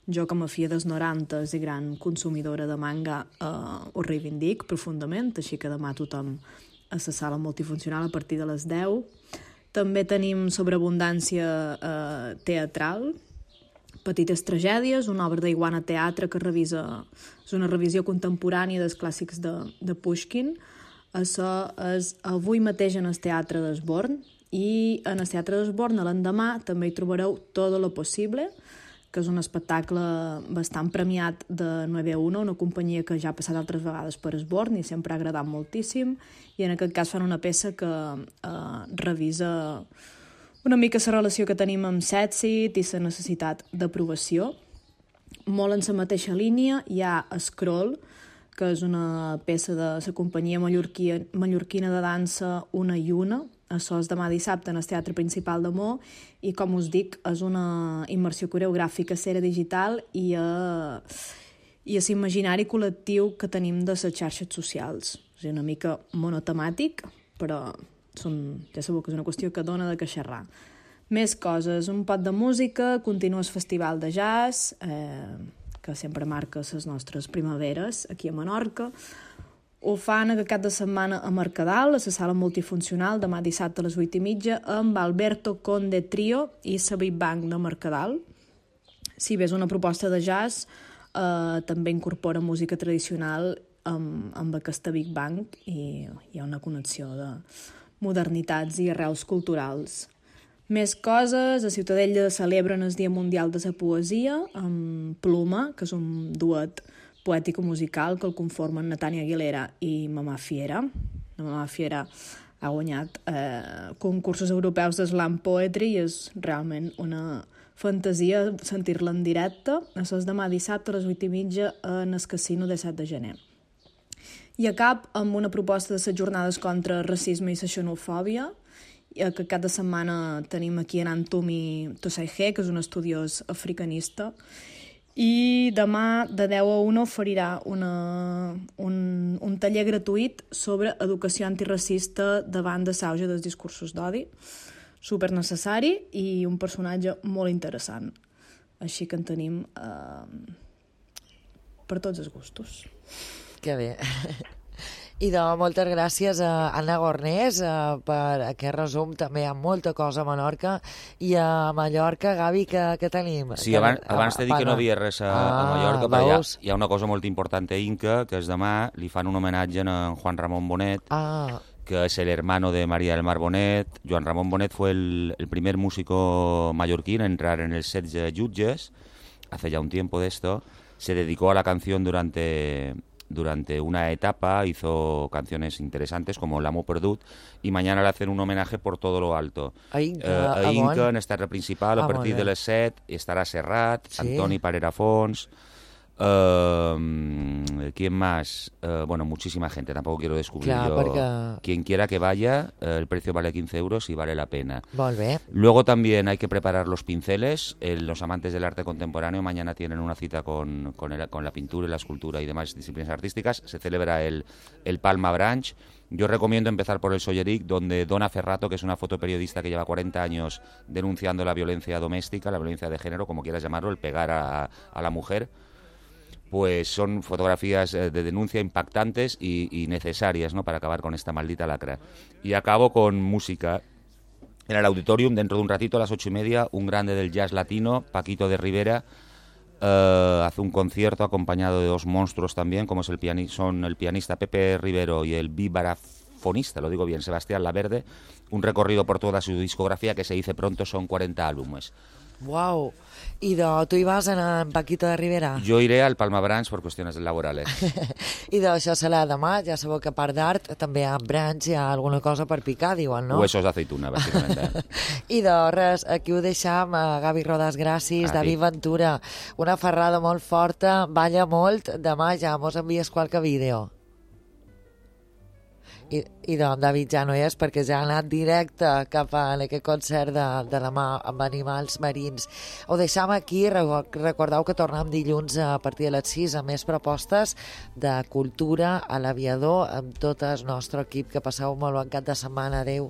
Jo, com a filla dels norantes i gran consumidora de manga, eh, ho reivindic profundament, així que demà tothom a la sala multifuncional a partir de les deu. També tenim sobreabundància eh, teatral, Petites tragèdies, una obra d'Iguana Teatre que revisa, és una revisió contemporània dels clàssics de, de Pushkin. Això és avui mateix en el Teatre d'Esborn, i en el Teatre d'Esborn l'endemà també hi trobareu Todo lo Possible, que és un espectacle bastant premiat de nueve uno, una companyia que ja ha passat altres vegades per Esborn i sempre ha agradat moltíssim, i en aquest cas fan una peça que eh, revisa una mica la relació que tenim amb Setsit i la necessitat d'aprovació. Molt en la mateixa línia hi ha Scroll, que és una peça de la companyia mallorquina de dansa Una i Una. Això és demà dissabte en el Teatre Principal de Mo, i com us dic, és una immersió coreogràfica a cera digital i a, i a l'imaginari col·lectiu que tenim de les xarxes socials. És una mica monotemàtic, però són, ja sabeu que és una qüestió que dona de què xerrar. Més coses, un pot de música, continua el festival de jazz, eh, que sempre marca les nostres primaveres aquí a Menorca. Ho fan aquest cap de setmana a Mercadal, a la sala multifuncional, demà dissabte a les vuit i mitja, amb Alberto Conde Trio i la Big Bang de Mercadal. Si bé és una proposta de jazz, eh, també incorpora música tradicional amb, amb aquesta Big Bang, i hi ha una connexió de modernitats i arrels culturals. Més coses, a Ciutadella celebren el Dia Mundial de la Poesia amb Pluma, que és un duet poètico-musical que el conformen Natània Aguilera i Mamà Fiera. La Mamà Fiera ha guanyat eh, concursos europeus de slam poetry i és realment una fantasia sentir-la en directe. Això és demà dissabte a les vuit i mitja en el Casino de set de gener. I acab amb una proposta de les jornades contra racisme i la xenofòbia, que cap de setmana tenim aquí en Antumi Tosaigé, que és un estudiós africanista, i demà de deu a una oferirà una, un, un taller gratuït sobre educació antiracista davant de l'auge dels discursos d'odi, super necessari i un personatge molt interessant. Així que en tenim eh, per tots els gustos. Que bé. I de moltes gràcies a Anna Gornés eh, per aquest resum, també amb molta cosa a Menorca. I a Mallorca, Gavi, què, què tenim? Sí, abans, abans t'he dit que no havia res a, ah, a Mallorca, però hi ha, hi ha una cosa molt important a Inca, que és demà li fan un homenatge a Juan Ramón Bonet, ah. que es el hermano de María del Mar Bonet. Joan Ramón Bonet fue el, el primer músico mallorquín a entrar en el set de Jutges, hace ya un tiempo de esto. Se dedicó a la canción durante... Durante una etapa hizo canciones interesantes como L'Amo Perdut, y mañana le hacen un homenaje por todo lo alto. A Inca, eh, a Inca en esta principal, a ah, partir de les set estará Serrat, sí. Antoni Parera Fons, Uh, ¿quién más? Uh, bueno, muchísima gente, tampoco quiero descubrir Clar, yo. Perquè... Quien quiera que vaya, uh, el precio vale quince euros y vale la pena. Molt bé. Luego también hay que preparar los pinceles. Eh, los amantes del arte contemporáneo mañana tienen una cita con, con, el, con la pintura y la escultura y demás disciplinas artísticas. Se celebra el, el Palma Branch. Yo recomiendo empezar por el Solleric, donde Donna Ferrato, que es una fotoperiodista que lleva cuarenta años denunciando la violencia doméstica, la violencia de género, como quieras llamarlo, el pegar a, a la mujer, pues son fotografías de denuncia impactantes y, y necesarias, ¿no?, para acabar con esta maldita lacra. Y acabo con música. En el Auditorium, dentro de un ratito, a las ocho y media, un grande del jazz latino, Paquito de Rivera, uh, hace un concierto acompañado de dos monstruos también, como es el piani- son el pianista Pepe Rivero y el vibrafono saxofonista, lo digo bien, Sebastián Laverde, un recorrido por toda su discografía que se dice pronto, son cuarenta álbumes. Uau! I de, tu hi vas anar amb Paquito de Rivera? Yo iré al Palma Branch por cuestiones laborales. I de això serà demà, ja sabeu que a part d'art també a Branch hi ha alguna cosa per picar, diuen, no? Huesos de aceituna, básicamente. I de res, aquí ho deixam, a Gavi Rodas, gràcies, David Ventura, una ferrada molt forta, balla molt, demà ja mos envies qualque vídeo. I, i doncs David ja no hi és perquè ja ha anat directe cap a aquest concert de, de demà amb animals marins. Ho deixam aquí, recordeu que tornem dilluns a partir de les sis amb més propostes de cultura a l'Aviador amb tot el nostre equip. Que passeu molt bon cap de setmana. Adéu.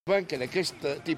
Que d'aquest tipus